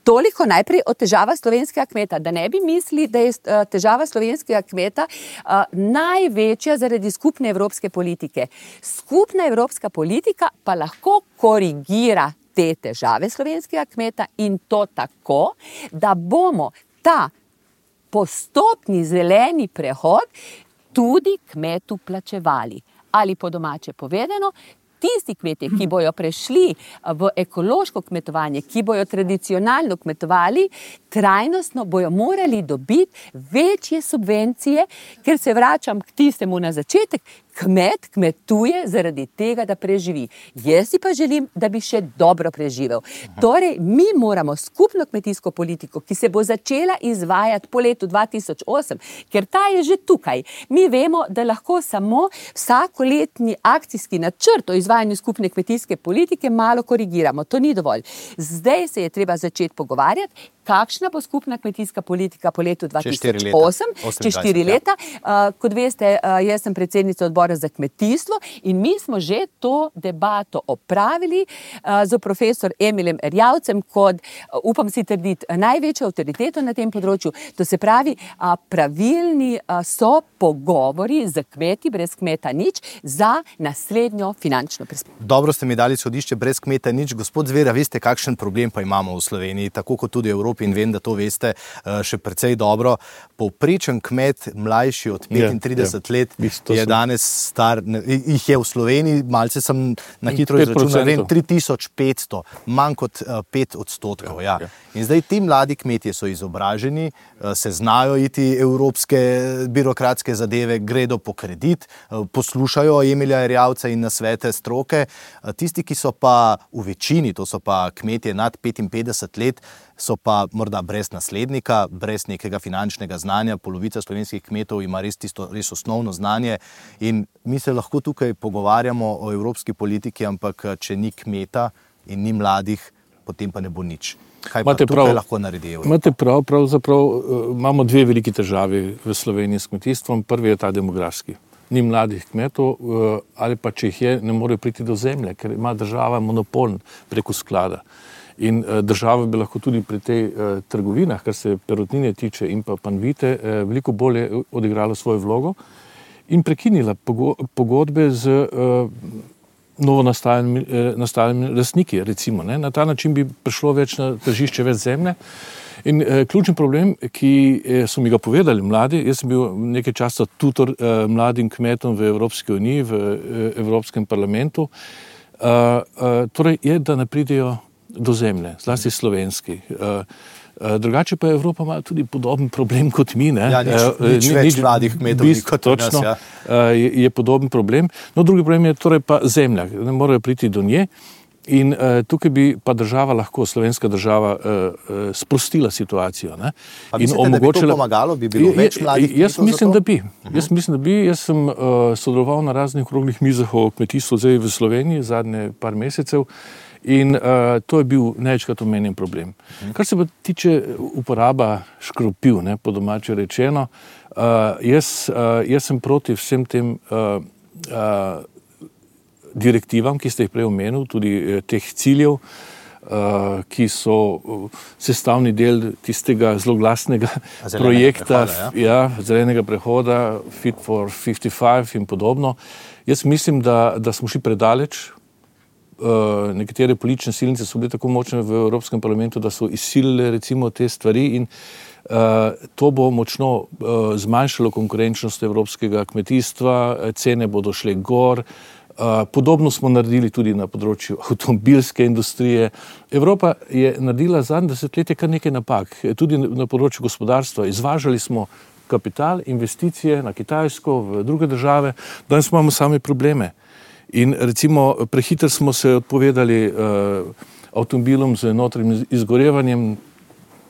Toliko najprej o težava slovenskega kmeta, da ne bi mislili, da je težava slovenskega kmeta uh, največja zaradi skupne evropske politike. Skupna evropska politika pa lahko korigira te težave slovenskega kmeta in to tako, da bomo ta postopni zeleni prehod tudi kmetu plačevali. Ali po domače povedano, tisti kmetje, ki bojo prešli v ekološko kmetovanje, ki bojo tradicionalno kmetovali, trajnostno bojo morali dobiti večje subvencije, ker se vračam k tistemu na začetek, kmet kmetuje zaradi tega, da preživi. Jaz si pa želim, da bi še dobro preživel. Torej, mi moramo skupno kmetijsko politiko, ki se bo začela izvajati po letu dva tisoč osem, ker ta je že tukaj. Mi vemo, da lahko samo vsakoletni akcijski načrt o izvajanju skupne kmetijske politike malo korigiramo. To ni dovolj. Zdaj se je treba začeti pogovarjati, kakšna bo skupna kmetijska politika po letu dva tisoč osem, čez štiri leta. Uh, kot veste, uh, jaz sem predsednica odbora za kmetijstvo in mi smo že to debato opravili uh, z profesor Emilem Erjavcem kot, uh, upam si trditi, največjo avtoriteto na tem področju. To se pravi, uh, pravilni uh, so pogovori z kmeti, brez kmeta nič, za naslednjo finančno perspektivo. Dobro ste mi dali izhodišče, brez kmeta nič. Gospod Zvera, veste, kakšen problem pa imamo v Sloveniji, tako kot tudi v Evropi, in vem, da to veste še precej dobro. Povprečen kmet, mlajši od petintrideset let, je danes star, jih je v Sloveniji, malce sem na hitro izračunal, vem, tri tisoč petsto, manj kot pet odstotkov. Ja. In zdaj ti mladi kmetje so izobraženi, se znajo iti evropske birokratske zadeve, gredo po kredit, poslušajo Emilja Erjavca in nasvete stroke. Tisti, ki so pa v večini, to so pa kmetje nad petinpetdeset let, so pa morda brez naslednika, brez nekega finančnega znanja. Polovica slovenskih kmetov ima res tisto res osnovno znanje in mi se lahko tukaj pogovarjamo o evropski politiki, ampak če ni kmeta in ni mladih, potem pa ne bo nič. Kaj pa tukaj prav, lahko naredi Evropa? Imate prav, pravzaprav uh, imamo dve veliki težavi v Sloveniji s kmetijstvom. Prvi je ta demografski. Ni mladih kmetov, uh, ali pa če jih je, ne morejo priti do zemlje, ker ima država monopol preko sklada. In uh, država bi lahko tudi pri tej uh, trgovinah, kar se perutnine tiče in pa panvite, uh, veliko bolje odigrala svojo vlogo in prekinila pogo pogodbe z uh, novo nastalimi, eh, nastalimi lastniki, recimo. Ne? Na ta način bi prišlo več na tržišče, več zemlje. In eh, ključni problem, ki eh, so mi ga povedali mladi, jaz sem bil nekaj časa tutor eh, mladim kmetom v Evropski uniji, v eh, Evropskem parlamentu, eh, eh, torej je, da ne pridejo do zemlje, zlasti slovenski. Eh, Drugače pa Evropa ima tudi podoben problem kot mi. Ne? Ja, nič, nič ni, več mladih kmetov bist, kot točno, nas. Ja. Je, je podoben problem. No, drugi problem je torej pa zemlja. Ne morejo priti do nje in uh, tukaj bi pa država lahko, slovenska država, uh, uh, sprostila situacijo. Ne? Pa mislite, in omogočila... da bi to pomagalo? Bi bilo več mladih kmetov? Jaz mislim, da bi. Uh-huh. Jaz mislim, da bi. Jaz sem uh, sodeloval na raznih okroglih mizah o kmetijstvu zdaj v Sloveniji zadnje par mesecev. In uh, to je bil največkrat omenjen problem. Kar se pa tiče uporaba škropiv, ne, po domače rečeno, uh, jaz, uh, jaz sem proti vsem tem uh, uh, direktivam, ki ste jih prej omenil, tudi uh, teh ciljev, uh, ki so uh, sestavni del tistega zloglasnega zelenega projekta, prehoda, ja. Ja, zelenega prehoda, Fit for petdeset pet in podobno. Jaz mislim, da, da smo šli predaleč. Uh, nekatere politične silnice so bile tako močne v Evropskem parlamentu, da so izsilile recimo te stvari in uh, to bo močno uh, zmanjšalo konkurenčnost evropskega kmetijstva, cene bodo šle gor. Uh, podobno smo naredili tudi na področju avtomobilske industrije. Evropa je naredila zadnje desetletje kar nekaj napak, tudi na področju gospodarstva. Izvažali smo kapital, investicije na Kitajsko, v druge države, danes imamo same probleme. In recimo prehitro smo se odpovedali uh, avtomobilom z notranjim izgorevanjem,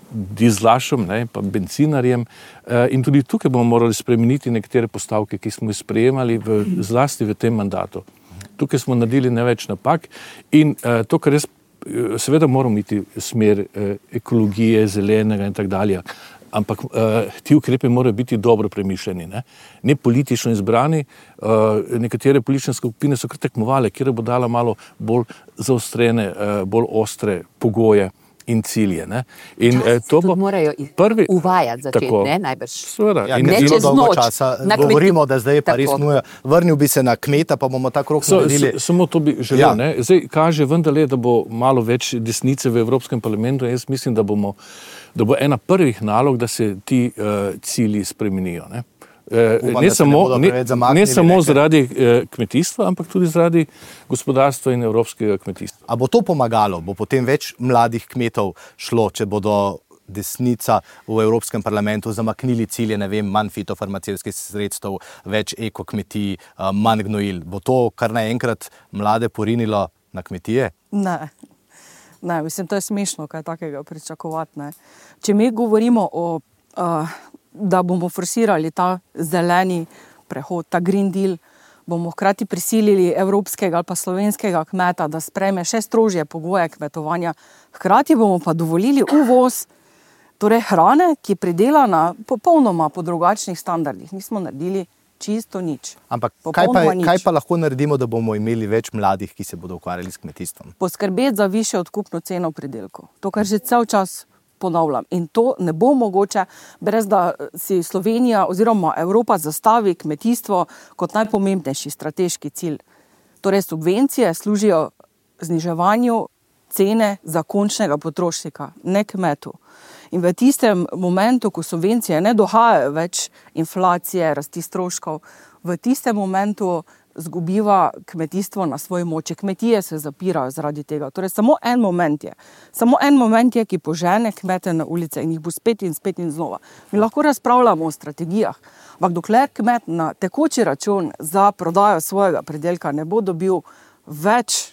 dizlašem, ne, pa bencinarjem uh, in tudi tukaj bomo morali spremeniti nekatere postavke, ki smo jih sprejemali v, zlasti v tem mandatu. Tukaj smo naredili največ napak in uh, to, kar res seveda moramo iti v smer uh, ekologije, zelenega in tak dalje. Ampak uh, ti ukrepe morajo biti dobro premišljeni, ne, ne politično izbrani. Uh, nekatere politične skupine so kar tekmovale, kjer bo dala malo bolj zaostrene, uh, bolj ostre pogoje in cilje. Ne. In uh, to bo morajo prvi uvajati začeti, tako, ne, najbrž. Sveda. Ja, in ne čez noč. Časa govorimo, da zdaj je pa res nuja. Vrnil bi se na kmeta, pa bomo ta krok so, naredili. So, samo to bi želel, ja. Ne. Zdaj kaže vendarle, da bo malo več desnice v Evropskem parlamentu. Jaz mislim, da bomo da bo ena prvih nalog, da se ti uh, cilji spremenijo. Ne, uh, Upam, ne da se samo, ne bodo ne, preveč zamaknili, ne samo ne, zaradi uh, kmetijstva, ampak tudi zaradi gospodarstva in evropskega kmetijstva. A bo to pomagalo? Bo potem več mladih kmetov šlo, če bodo desnica v Evropskem parlamentu zamaknili cilje, ne vem, manj fitofarmacevtskih sredstev, več ekokmetij, manj gnojil. Bo to kar naenkrat mlade porinilo na kmetije? Ne. Ne, mislim, to je smešno, kaj takega pričakovati. Ne. Če mi govorimo o, uh, da bomo forsirali ta zeleni prehod, ta Green Deal, bomo hkrati prisilili evropskega ali pa slovenskega kmeta, da sprejme še strožje pogoje kmetovanja, hkrati bomo pa dovolili uvoz torej hrane, ki je pridelana popolnoma po drugačnih standardih. Nismo naredili čisto nič. Ampak kaj pa, kaj pa lahko naredimo, da bomo imeli več mladih, ki se bodo ukvarjali s kmetijstvom? Poskrbeti za višjo odkupno ceno pridelkov. To, kar že cel čas ponavljam. In to ne bo mogoče, brez da si Slovenija oziroma Evropa zastavi kmetijstvo kot najpomembnejši strateški cilj. Torej subvencije služijo zniževanju cene za končnega potrošnika, ne kmetu. In v tistem momentu, ko subvencije ne dohajajo več inflacije, rasti stroškov, v tistem momentu zgubiva kmetijstvo na svoji moči. Kmetije se zapirajo zaradi tega. Torej samo en moment je. Samo en moment je, ki požene kmete na ulice in jih bo spet in spet in znova. Mi lahko razpravljamo o strategijah, ampak dokler kmet na tekoči račun za prodajo svojega pridelka ne bo dobil več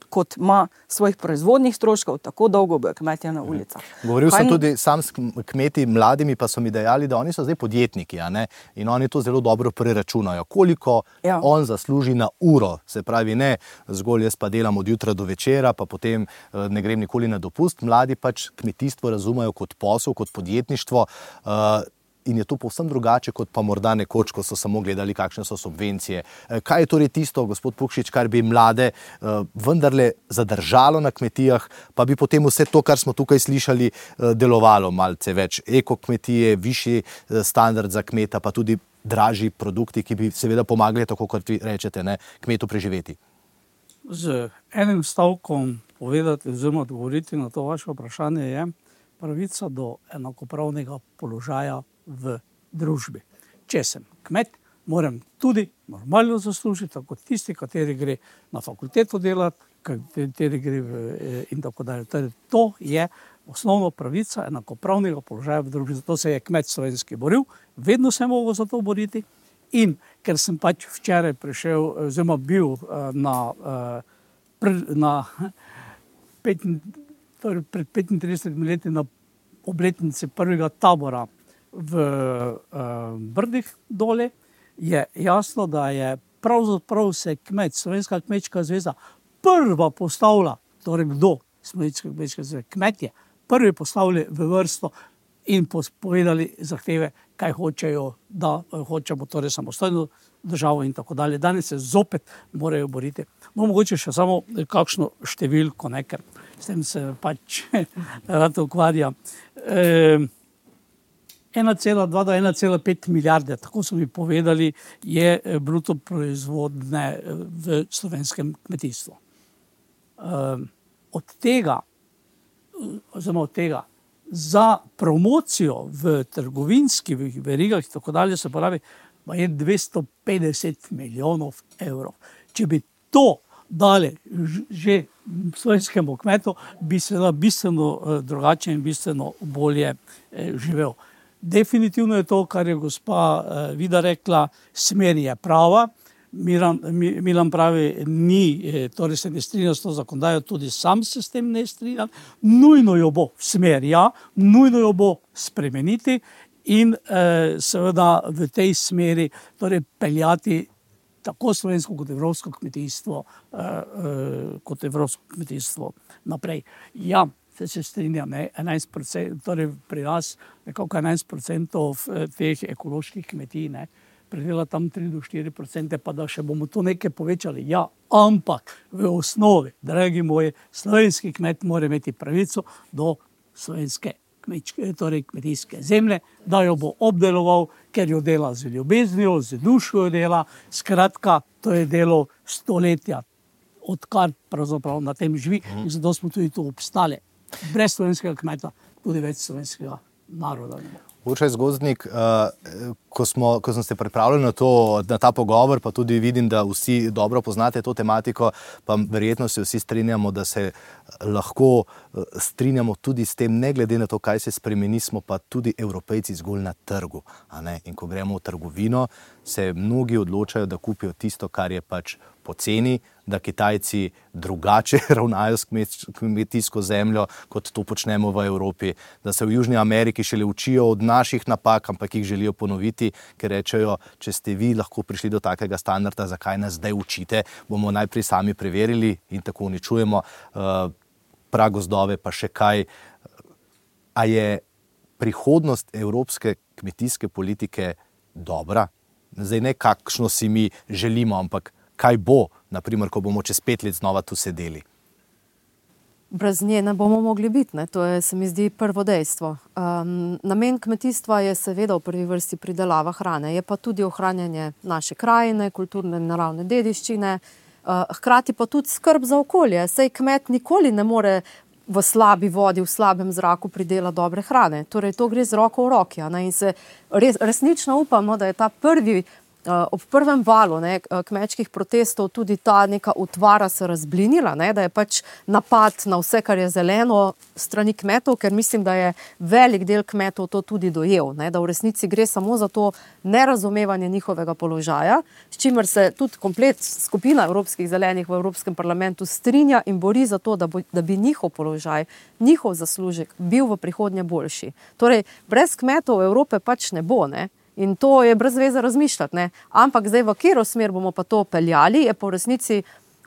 kot ima svojih proizvodnih stroškov, tako dolgo bojo kmetje na ulicah. Govoril sem tudi sam s kmeti mladimi, pa so mi dejali, da oni so zdaj podjetniki, a ne? In oni to zelo dobro preračunajo. Koliko ja. on zasluži na uro, se pravi ne zgolj jaz pa delam od jutra do večera, pa potem ne grem nikoli na dopust. Mladi pač kmetijstvo razumejo kot posel, kot podjetništvo, uh, in je to povsem drugače, kot pa morda nekoč, ko so samo gledali, kakšne so subvencije. Kaj je torej tisto, gospod Pukšič, kar bi mlade uh, vendarle zadržalo na kmetijah, pa bi potem vse to, kar smo tukaj slišali, uh, delovalo malce več? Ekokmetije, višji uh, standard za kmeta, pa tudi dražji produkti, ki bi seveda pomagali, tako kot vi rečete, ne, kmetu preživeti. Z enim stavkom povedati oziroma odgovoriti na to vaše vprašanje je pravica do enakopravnega položaja v družbi. Če sem kmet, moram tudi normalno zaslužiti, tako tisti, kateri gre na fakulteto delati, kateri gre v, in tako dalje. Torej, to je osnovna pravica enakopravnega položaja v družbi. Zato se je kmet slovenski boril, vedno se je mogel za to boriti. In ker sem pač včeraj prišel, oziroma bil na, na pet, torej pred petintridesetimi leti na obletnici prvega tabora v uh, Brdih dole, je jasno, da je pravzaprav se kmet, Slovenska kmečka zveza prva postavila, torej kdo, Slovenska kmečka zveza, kmetje, prvi postavili v vrsto in povedali zahteve, kaj hočejo, da hočemo torej samostojno državo in tako dalje. Danes se zopet morajo boriti. No, mogoče še samo kakšno številko, ne, ker s tem se pač rad ukvarja. E, ena cela dva do ena cela pet milijarde, tako so mi povedali, je bruto proizvodne v slovenskem kmetijstvu. E, od tega, oziroma od tega, za promocijo v trgovinskih verigah in tako dalje se pravi, pa je dvesto petdeset milijonov evrov. Če bi to dali že slovenskemu kmetu, bi se da bistveno drugače in bistveno bolje živel. Definitivno je to, kar je gospa Vida rekla, smer je prava. Milan, Milan pravi, ni, torej se ne strinja s to zakonodajo, tudi sam se s tem ne strinja. Nujno jo bo smer, ja, nujno jo bo spremeniti in eh, seveda v tej smeri torej peljati tako slovensko kot evropsko kmetijstvo, eh, eh, kot evropsko kmetijstvo naprej. Ja, se, se strinjam, ne, enajst procent, torej pri nas nekako enajst procentov teh ekoloških kmetij, ne, predela tam tri do štiri procente, pa da še bomo to nekaj povečali. Ja, ampak v osnovi, dragi moji, slovenski kmet mora imeti pravico do slovenske kmečke, torej kmetijske zemlje, da jo bo obdeloval, ker jo dela z ljubeznijo, z dušo jo dela. Skratka, to je delo stoletja, odkar pravzaprav na tem živi in zato smo tudi tu obstali. Brez slovenskega kmeta tudi več slovenskega naroda. Uršaj Zgozdnik, ko, smo, ko sem se pripravljal na, to, na ta pogovor, pa tudi vidim, da vsi dobro poznate to tematiko, pa verjetno se vsi strinjamo, da se lahko strinjamo tudi s tem, ne glede na to, kaj se spremeni, smo pa tudi Evropejci zgolj na trgu. A ne? In ko gremo v trgovino, se mnogi odločajo, da kupijo tisto, kar je pač poceni, da Kitajci drugače ravnajo s kmetijsko zemljo, kot to počnemo v Evropi, da se v Južni Ameriki šele učijo od naših napak, ampak jih želijo ponoviti, ker rečejo, če ste vi lahko prišli do takega standarda, zakaj nas zdaj učite, bomo najprej sami preverili in tako uničujemo uh, pragozdove, pa še kaj. A je prihodnost evropske kmetijske politike dobra? Zdaj ne kakšno si mi želimo, ampak kaj bo, naprimer, ko bomo čez pet let znova tu sedeli? Brez nje ne bomo mogli biti, ne? To je, se mi zdi, prvo dejstvo. Um, namen kmetijstva je seveda v prvi vrsti pridelava hrane, je pa tudi ohranjanje naše krajine, kulturne in naravne dediščine, uh, hkrati pa tudi skrb za okolje. Sej kmet nikoli ne more v slabi vodi, v slabem zraku pridela dobre hrane. Torej, to gre z roko v roki. Ne? In se res, resnično upamo, da je ta prvi ob prvem valu ne, kmečkih protestov tudi ta neka utvara se razblinila, ne, da je pač napad na vse, kar je zeleno strani kmetov, ker mislim, da je velik del kmetov to tudi dojel, ne, da v resnici gre samo za to nerazumevanje njihovega položaja, s čimer se tudi komplet skupina evropskih zelenih v Evropskem parlamentu strinja in bori za to, da, bo, da bi njihov položaj, njihov zaslužek bil v prihodnje boljši. Torej, brez kmetov Evrope pač ne bo, ne. In to je brez veze razmišljati, ne. Ampak zdaj v katero smer bomo pa to peljali, je po resnici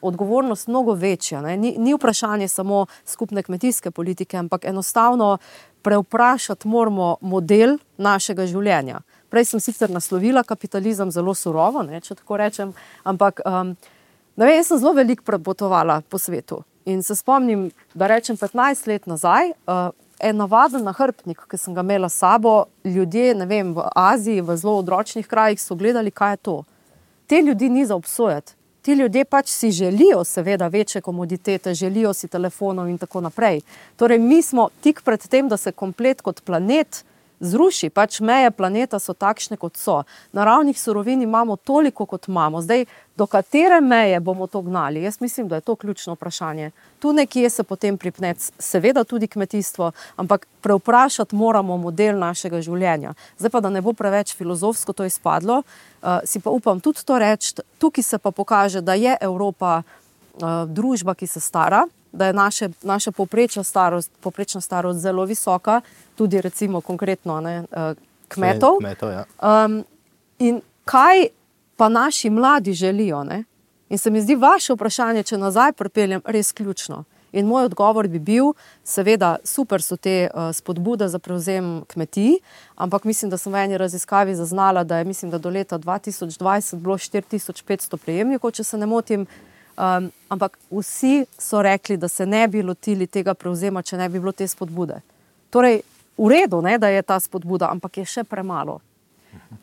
odgovornost mnogo večja. Ne. Ni, ni vprašanje samo skupne kmetijske politike, ampak enostavno preuprašati moramo model našega življenja. Prej sem sicer naslovila kapitalizem zelo surovo, ne, če tako rečem, ampak um, ne vem, jaz sem zelo veliko prepotovala po svetu in se spomnim, da rečem petnajst let nazaj, uh, en navaden nahrbtnik, ki sem ga imela s sabo, ljudje, ne vem, v Aziji, v zelo odročnih krajih so gledali, kaj je to. Te ljudi ni za obsojati. Ti ljudje pač si želijo seveda večje komoditete, želijo si telefonov in tako naprej. Torej, mi smo tik pred tem, da se komplet kot planet zruši, pač meje planeta so takšne, kot so. Naravnih surovin imamo toliko, kot imamo. Zdaj, do katere meje bomo to gnali? Jaz mislim, da je to ključno vprašanje. Tu nekje se potem pripne seveda tudi kmetijstvo, ampak preuprašati moramo model našega življenja. Zdaj pa, da ne bo preveč filozofsko to izpadlo, uh, si pa upam tudi to reči, tukaj se pa pokaže, da je Evropa uh, družba, ki se stara, da je naše, naša povprečna starost, povprečna starost zelo visoka, tudi recimo konkretno ne, kmetov. kmetov ja. um, in kaj pa naši mladi želijo? Ne? In se mi zdi vaše vprašanje, če nazaj pripeljem, res ključno. In moj odgovor bi bil, seveda super so te uh, spodbude za prevzem kmetij, ampak mislim, da sem v eni raziskavi zaznala, da je mislim, da do leta dva tisoč dvajset bilo štiri tisoč petsto prejemnikov, če se ne motim. Um, ampak vsi so rekli, da se ne bi lotili tega prevzema, če ne bi bilo te spodbude. Torej, v redu, ne, da je ta spodbuda, ampak je še premalo.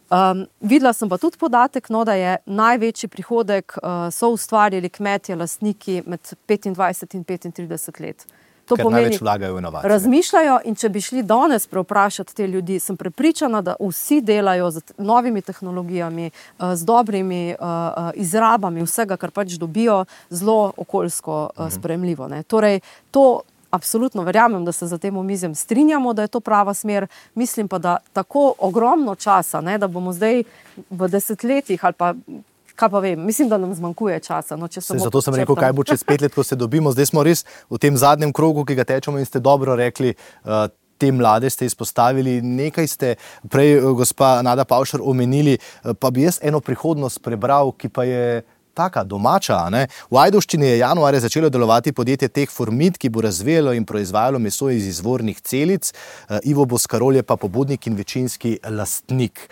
Um, videla sem pa tudi podatek, no, da je največji prihodek uh, so ustvarjali kmetje, lastniki med petindvajset in petintrideset let. To Ker pomeni, največ vlagajo v inovacije. Razmišljajo in če bi šli danes preuprašati te ljudi, sem prepričana, da vsi delajo z novimi tehnologijami, z dobrimi uh, izrabami vsega, kar pač dobijo, zelo okoljsko uh, sprejemljivo. Ne. Torej, to absolutno verjamem, da se za tem omizjem strinjamo, da je to prava smer. Mislim pa, da tako ogromno časa, ne, da bomo zdaj v desetletjih ali pa kaj pa vem, mislim, da nam zmanjkuje časa. No, če samo Zato sem rekel, kaj bo čez pet let, ko se dobimo. Zdaj smo res v tem zadnjem krogu, ki ga tečemo in ste dobro rekli, uh, te mlade ste izpostavili. Nekaj ste prej, uh, gospa Nada Pavšar, omenili, uh, pa bi jaz eno prihodnost prebral, ki pa je taka domača. Ne? V Ajdovščini je januarja začelo delovati podjetje Teh Formit, ki bo razvijalo in proizvajalo meso iz izvornih celic. Uh, Ivo Boskarol je pa pobudnik in večinski lastnik.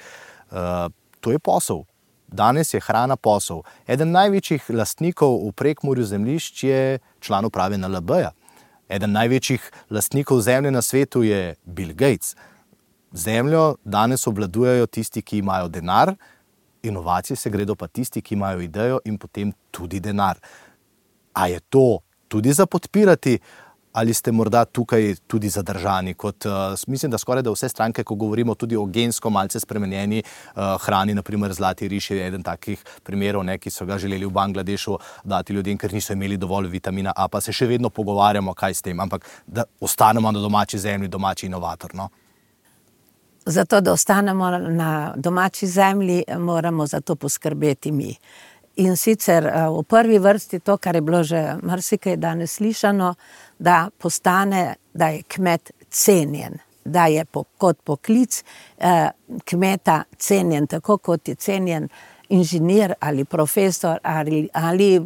Uh, to je posel. Danes je hrana posel. Eden največjih lastnikov v Prekmurju zemljišč je član uprave N L B-ja. Eden največjih lastnikov zemlje na svetu je Bill Gates. Zemljo danes obvladujejo tisti, ki imajo denar, inovacije se gredo pa tisti, ki imajo idejo in potem tudi denar. A je to tudi za podpirati ali ste morda tukaj tudi zadržani? Kot, uh, mislim, da skoraj da vse stranke, ko govorimo tudi o gensko malce spremenjeni uh, hrani, naprimer zlati riž je eden takih primerov, ne, ki so ga želeli v Bangladešu dati ljudem, ker niso imeli dovolj vitamina A, pa se še vedno pogovarjamo, kaj s tem, ampak da ostanemo na domači zemlji, domači inovator, no? Zato, da ostanemo na domači zemlji, moramo za to poskrbeti mi. In sicer v prvi vrsti to, kar je bilo že marsikaj danes slišano, da postane, da je kmet cenjen, da je po, kot poklic eh, kmeta cenjen, tako kot je cenjen inženir ali profesor ali, ali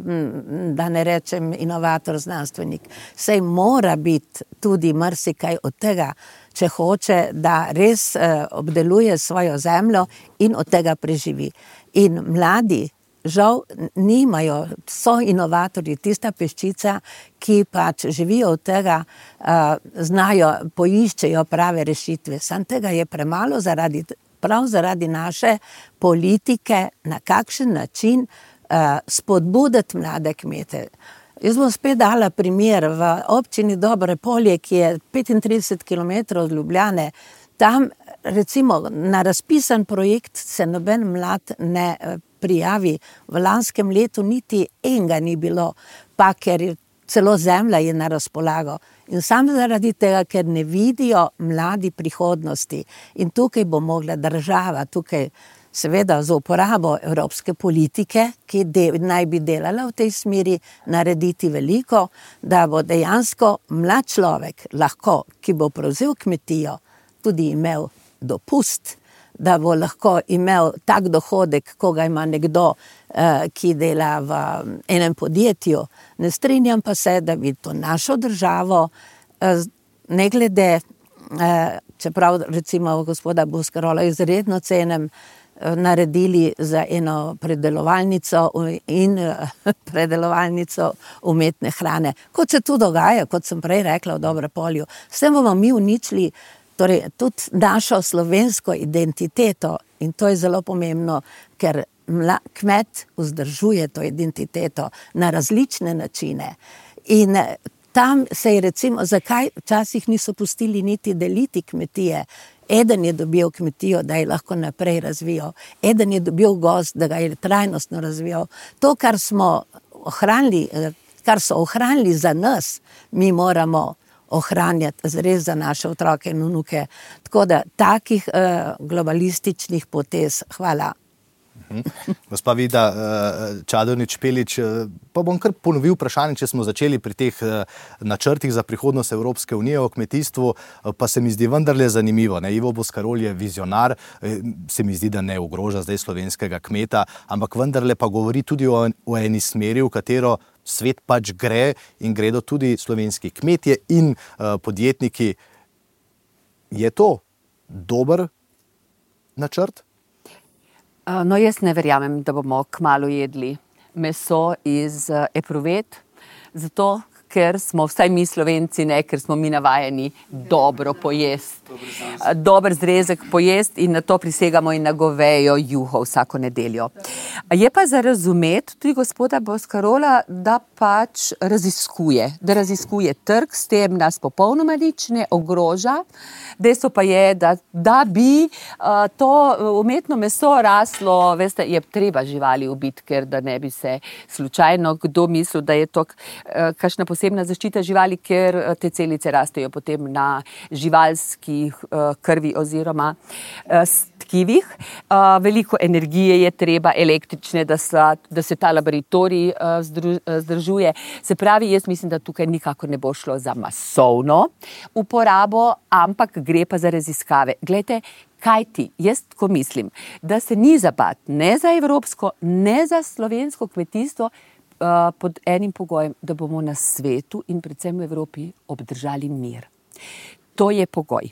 da ne rečem inovator, znanstvenik. Sej mora biti tudi marsikaj od tega, če hoče, da res eh, obdeluje svojo zemljo in od tega preživi. In mladi žal nimajo, so inovatorji, tista peščica, ki pač živijo od tega, uh, znajo, poiščejo prave rešitve. Sam tega je premalo zaradi, prav zaradi naše politike, na kakšen način uh, spodbuditi mlade kmete. Jaz bom spet dala primer v občini Dobre Polje, ki je petintrideset kilometrov od Ljubljane. Tam recimo na razpisan projekt se noben mlad ne prijavi. V lanskem letu niti enega ni bilo, pa ker je celo zemlja je na razpolago. In samo zaradi tega, ker ne vidijo mladi prihodnosti. In tukaj bo mogla država, tukaj seveda za uporabo evropske politike, ki de, naj bi delala v tej smeri, narediti veliko, da bo dejansko mlad človek lahko, ki bo prevzel kmetijo, tudi imel dopust, da bo lahko imel tak dohodek, ko ga ima nekdo, eh, ki dela v enem podjetju. Ne strinjam pa se, da bi to našo državo, eh, ne glede, eh, čeprav recimo gospoda Boscarola izredno cenem, eh, naredili za eno predelovalnico in eh, predelovalnico umetne hrane. Kot se tu dogaja, kot sem prej rekla v Dobre Polju, s tem bomo mi uničili torej tudi našo slovensko identiteto in to je zelo pomembno, ker mla, kmet vzdržuje to identiteto na različne načine. In tam se je recimo, zakaj včasih niso pustili niti deliti kmetije. Eden je dobil kmetijo, da je lahko naprej razvijal. Eden je dobil gozd, da ga je trajnostno razvijal. To, kar smo ohranili, kar so ohranili za nas, mi moramo ohranjati res za naše otroke in vnuke. Tako da takih uh, globalističnih potez, hvala. Gospa Vida Čadonič Špelič, pa bom kar ponovil vprašanje, če smo začeli pri teh načrtih za prihodnost Evropske unije o kmetijstvu, pa se mi zdi vendarle zanimivo. Ne? Ivo Boscarol je vizionar, se mi zdi, da ne ogroža zdaj slovenskega kmeta, ampak vendarle pa govori tudi o, o eni smeri, v katero svet pač gre in gredo tudi slovenski kmetje in uh, podjetniki. Je to dober načrt? No, jaz ne verjamem, da bomo kmalu jedli meso iz epruvet, zato ker smo vsaj mi Slovenci, ne, ker smo mi navajeni dobro pojesti. Dober zrezek pojesti in na to prisegamo in na govejo juho vsako nedeljo. Je pa za razumeti tudi gospoda Boscarola, da pač raziskuje, da raziskuje trg, s tem nas popolnoma nič ne ogroža. Dejstvo pa je, da, da bi uh, to umetno meso raslo, veste, je treba živali ubiti, ker da ne bi se slučajno kdo mislil, da je to uh, kakšna posebna zaščita živali, ker uh, te celice rastejo potem na živalskih uh, krvi oziroma uh, tkivih. Uh, veliko energije je treba, električne, da, sa, da se ta laboratorij uh, združ, uh, zdržuje. Se pravi, jaz mislim, da tukaj nikakor ne bo šlo za masovno uporabo, ampak gre pa za raziskave. Glejte, kaj ti, jaz ko mislim, da se ni zabat ne za evropsko, ne za slovensko kmetijstvo uh, pod enim pogojem, da bomo na svetu in predvsem v Evropi obdržali mir. To je pogoj.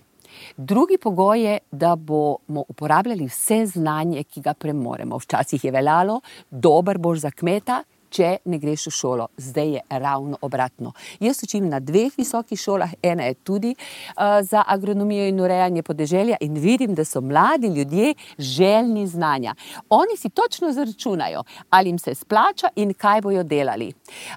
Drugi pogoj je, da bomo uporabljali vse znanje, ki ga premoremo. Včasih je veljalo, dober boš za kmeta, če ne greš v šolo. Zdaj je ravno obratno. Jaz učim na dveh visokih šolah, ena je tudi uh, za agronomijo in urejanje podeželja in vidim, da so mladi ljudje željni znanja. Oni si točno zaračunajo, ali jim se splača in kaj bojo delali.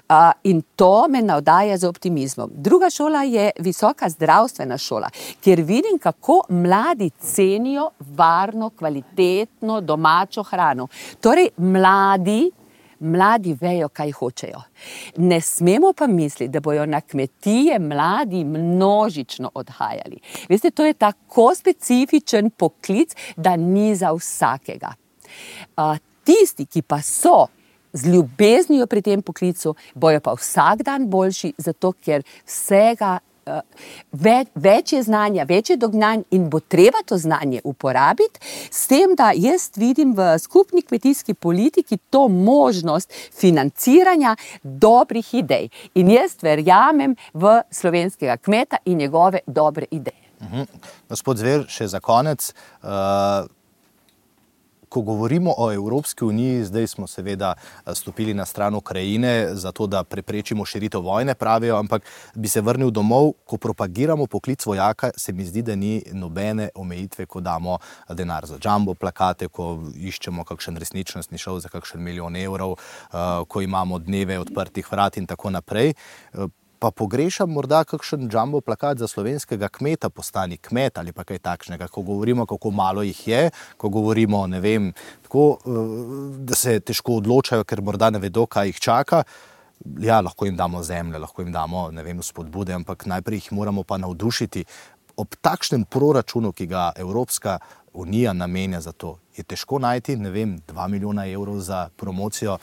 Uh, in to me navdaja z optimizmom. Druga šola je visoka zdravstvena šola, kjer vidim, kako mladi cenijo varno, kvalitetno, domačo hrano. Torej, mladi Mladi vejo, kaj hočejo. Ne smemo pa misliti, da bojo na kmetije mladi množično odhajali. Veste, to je tako specifičen poklic, da ni za vsakega. Uh, tisti, ki pa so z ljubeznijo pri tem poklicu, bojo pa vsak dan boljši, zato ker vsega Uh, več, več je znanja, več je dognanj in bo treba to znanje uporabiti, s tem, da jaz vidim v skupni kmetijski politiki to možnost financiranja dobrih idej. In jaz verjamem v slovenskega kmeta in njegove dobre ideje. Mhm. Gospod Zver, še za konec. Uh... Ko govorimo o Evropski uniji, zdaj smo seveda stopili na stran Ukrajine, zato da preprečimo širitev vojne, pravijo, ampak bi se vrnil domov, ko propagiramo poklic vojaka, se mi zdi, da ni nobene omejitve, ko damo denar za jumbo plakate, ko iščemo kakšen resničnostni šov za kakšen milijon evrov, ko imamo dneve odprtih vrat in tako naprej. Pa pogrešam morda kakšen jumbo plakat za slovenskega kmeta, postani kmet ali pa kaj takšnega, ko govorimo, kako malo jih je, ko govorimo, ne vem, tako, da se težko odločajo, ker morda ne vedo, kaj jih čaka. Ja, lahko jim damo zemlje, lahko jim damo, ne vem, spodbude, ampak najprej jih moramo pa navdušiti. Ob takšnem proračunu, ki ga Evropska unija namenja za to, je težko najti, ne vem, dva milijona evrov za promocijo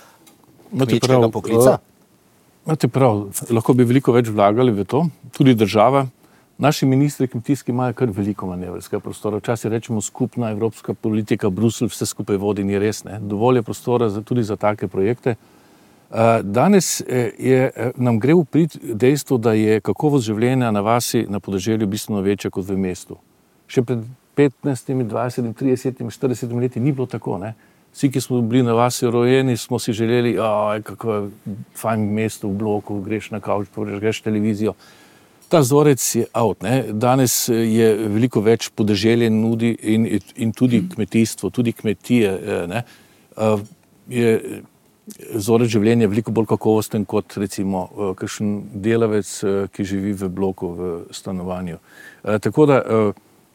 kmečkega poklica. Imate prav, lahko bi veliko več vlagali v to, tudi država. Naši ministri kmetijski imajo kar veliko manevrskega prostora. Včasih rečemo skupna evropska politika, Bruselj vse skupaj vodi, ni res, ne. Dovolj je prostora za, tudi za take projekte. Danes je, nam gre v prid dejstvo, da je kakovost življenja na vasi, na podeželju bistveno večja kot v mestu. Še pred petnajstimi, dvajsetimi, tridesetimi, štiridesetimi leti ni bilo tako, ne. Vsi, ki smo bili na vasi rojeni, smo si želeli, aj, kako je fajn mesto v bloku, greš na kavč, greš televizijo. Ta vzorec je out, ne. Danes je veliko več podeželje nudi in, in tudi kmetijstvo, tudi kmetije, ne. Je vzorec življenja veliko bolj kakovosten kot recimo kakšen delavec, ki živi v bloku, v stanovanju. Tako da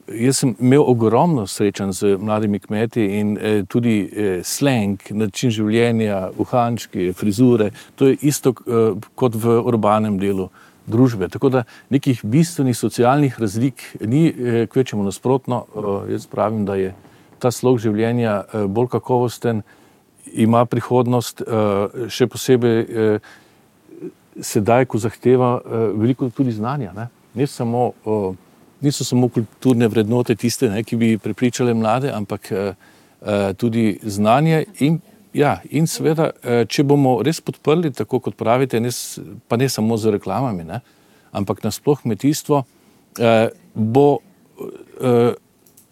jaz sem imel ogromno srečanj z mladimi kmeti in eh, tudi eh, slang, način življenja, uhančki, frizure, to je isto eh, kot v urbanem delu družbe. Tako da nekih bistvenih socialnih razlik ni, eh, kvečemo nasprotno. Eh, jaz pravim, da je ta slog življenja eh, bolj kakovosten, ima prihodnost, eh, še posebej eh, sedaj, ko zahteva eh, veliko tudi znanja, ne, ne samo eh, niso samo kulturne vrednote tiste, ne, ki bi prepričale mlade, ampak uh, tudi znanje in, ja, in seveda, uh, če bomo res podprli, tako kot pravite, ne, pa ne samo z reklamami, ne, ampak nasploh kmetijstvo, uh, bo, uh,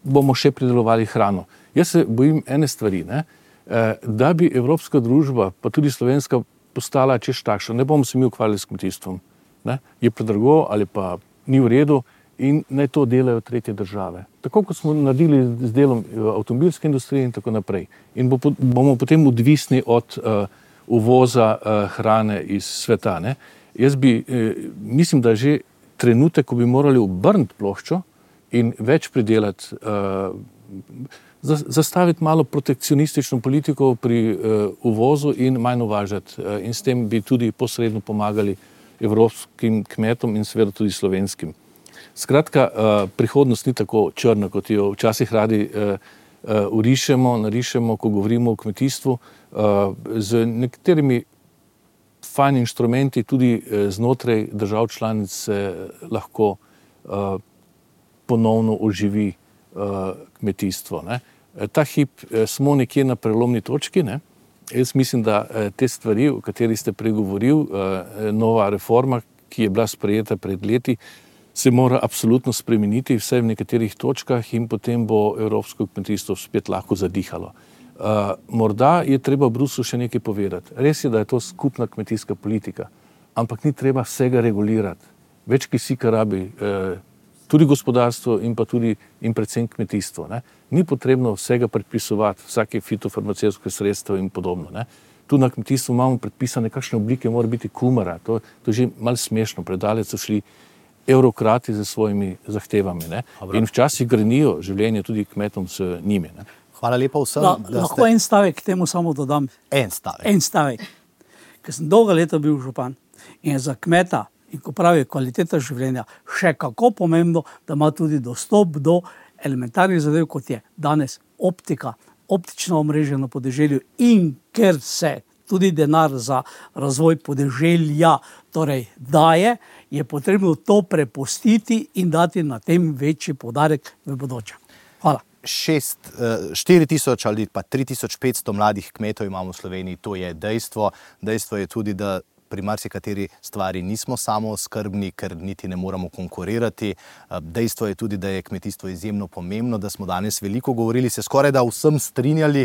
bomo še pridelovali hrano. Jaz se bojim ene stvari, ne, uh, da bi evropska družba, pa tudi slovenska, postala češ takšna. Ne bomo se mi ukvarjali s kmetijstvom. Ne, je predrago ali pa ni v redu, in naj to delajo tretje države. Tako kot smo naredili z delom avtomobilske industrije in tako naprej. In bo, bomo potem odvisni od uh, uvoza uh, hrane iz sveta, ne. Jaz bi, eh, mislim, da že trenutek, ko bi morali obrniti ploščo in več pridelati, uh, zastaviti malo protekcionistično politiko pri uh, uvozu in manj uvažati. Uh, in s tem bi tudi posredno pomagali evropskim kmetom in seveda tudi slovenskim. Skratka, prihodnost ni tako črna, kot jo včasih radi urišemo, narišemo, ko govorimo o kmetijstvu. Z nekaterimi fajn inštrumenti tudi znotraj držav članic se lahko ponovno oživi kmetijstvo, ne. Ta hip smo nekje na prelomni točki, ne. Jaz mislim, da te stvari, o kateri ste pregovoril, nova reforma, ki je bila sprejeta pred leti, se mora absolutno spremeniti, vsaj v nekaterih točkah, in potem bo evropsko kmetijstvo spet lahko zadihalo. Uh, morda je treba v Bruslju še nekaj povedati. Res je, da je to skupna kmetijska politika, ampak ni treba vsega regulirati. Več kisika rabi eh, tudi gospodarstvo in pa tudi in predvsem kmetijstvo. Ne. Ni potrebno vsega predpisovati, vsake fitofarmacevtske sredstva in podobno. Ne. Tu na kmetijstvu imamo predpisane, kakšne oblike mora biti kumara. To, to je že malo smešno. Predaleč so šli evrokrati z svojimi zahtevami. Ne. In včasih grenijo življenje tudi kmetom s njimi. Ne. Hvala lepa vsem. Da, da lahko ste... en stavek k temu samo dodam. En stavek. En stavek. Ker sem dolga leta bil župan in je za kmeta in ko pravi kvaliteta življenja še kako pomembno, da ima tudi dostop do elementarnih zadev, kot je danes optika, optično omrežje na podeželju in ker se tudi denar za razvoj podeželja torej daje, je potrebno to prepustiti in dati na tem večji poudarek v bodoče. Hvala. Šest, štiri tisoč ali pa tri tisoč petsto mladih kmetov imamo v Sloveniji, to je dejstvo. Dejstvo je tudi, da pri marsikateri stvari nismo samooskrbni, ker niti ne moramo konkurirati. Dejstvo je tudi, da je kmetijstvo izjemno pomembno, da smo danes veliko govorili, se skoraj da vsem strinjali,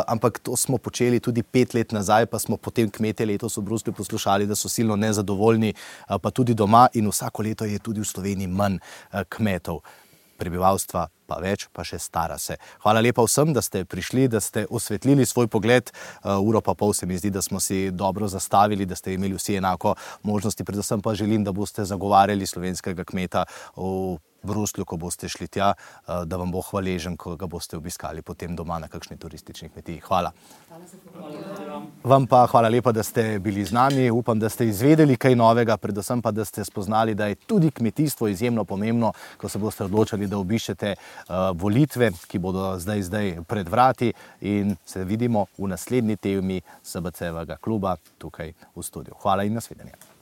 ampak to smo počeli tudi pet let nazaj, pa smo potem kmete letos v Bruslju poslušali, da so silno nezadovoljni, pa tudi doma in vsako leto je tudi v Sloveniji manj kmetov. Prebivalstva pa več, pa še stara se. Hvala lepa vsem, da ste prišli, da ste osvetlili svoj pogled. Uh, uro pa pol se mi zdi, da smo si dobro zastavili, da ste imeli vsi enako možnosti. Predvsem pa želim, da boste zagovarjali slovenskega kmeta v Bruslju, ko boste šli tja, uh, da vam bo hvaležen, ko ga boste obiskali potem doma na kakšni turistični kmetiji. Hvala. Vam pa hvala lepa, da ste bili z nami. Upam, da ste izvedeli kaj novega, predvsem pa, da ste spoznali, da je tudi kmetijstvo izjemno pomembno, ko se boste odločali, da obiščete uh, volitve, ki bodo zdaj, zdaj pred vrati, in se vidimo v naslednji temi S B C-vega kluba tukaj v studiu. Hvala in nasvidenje.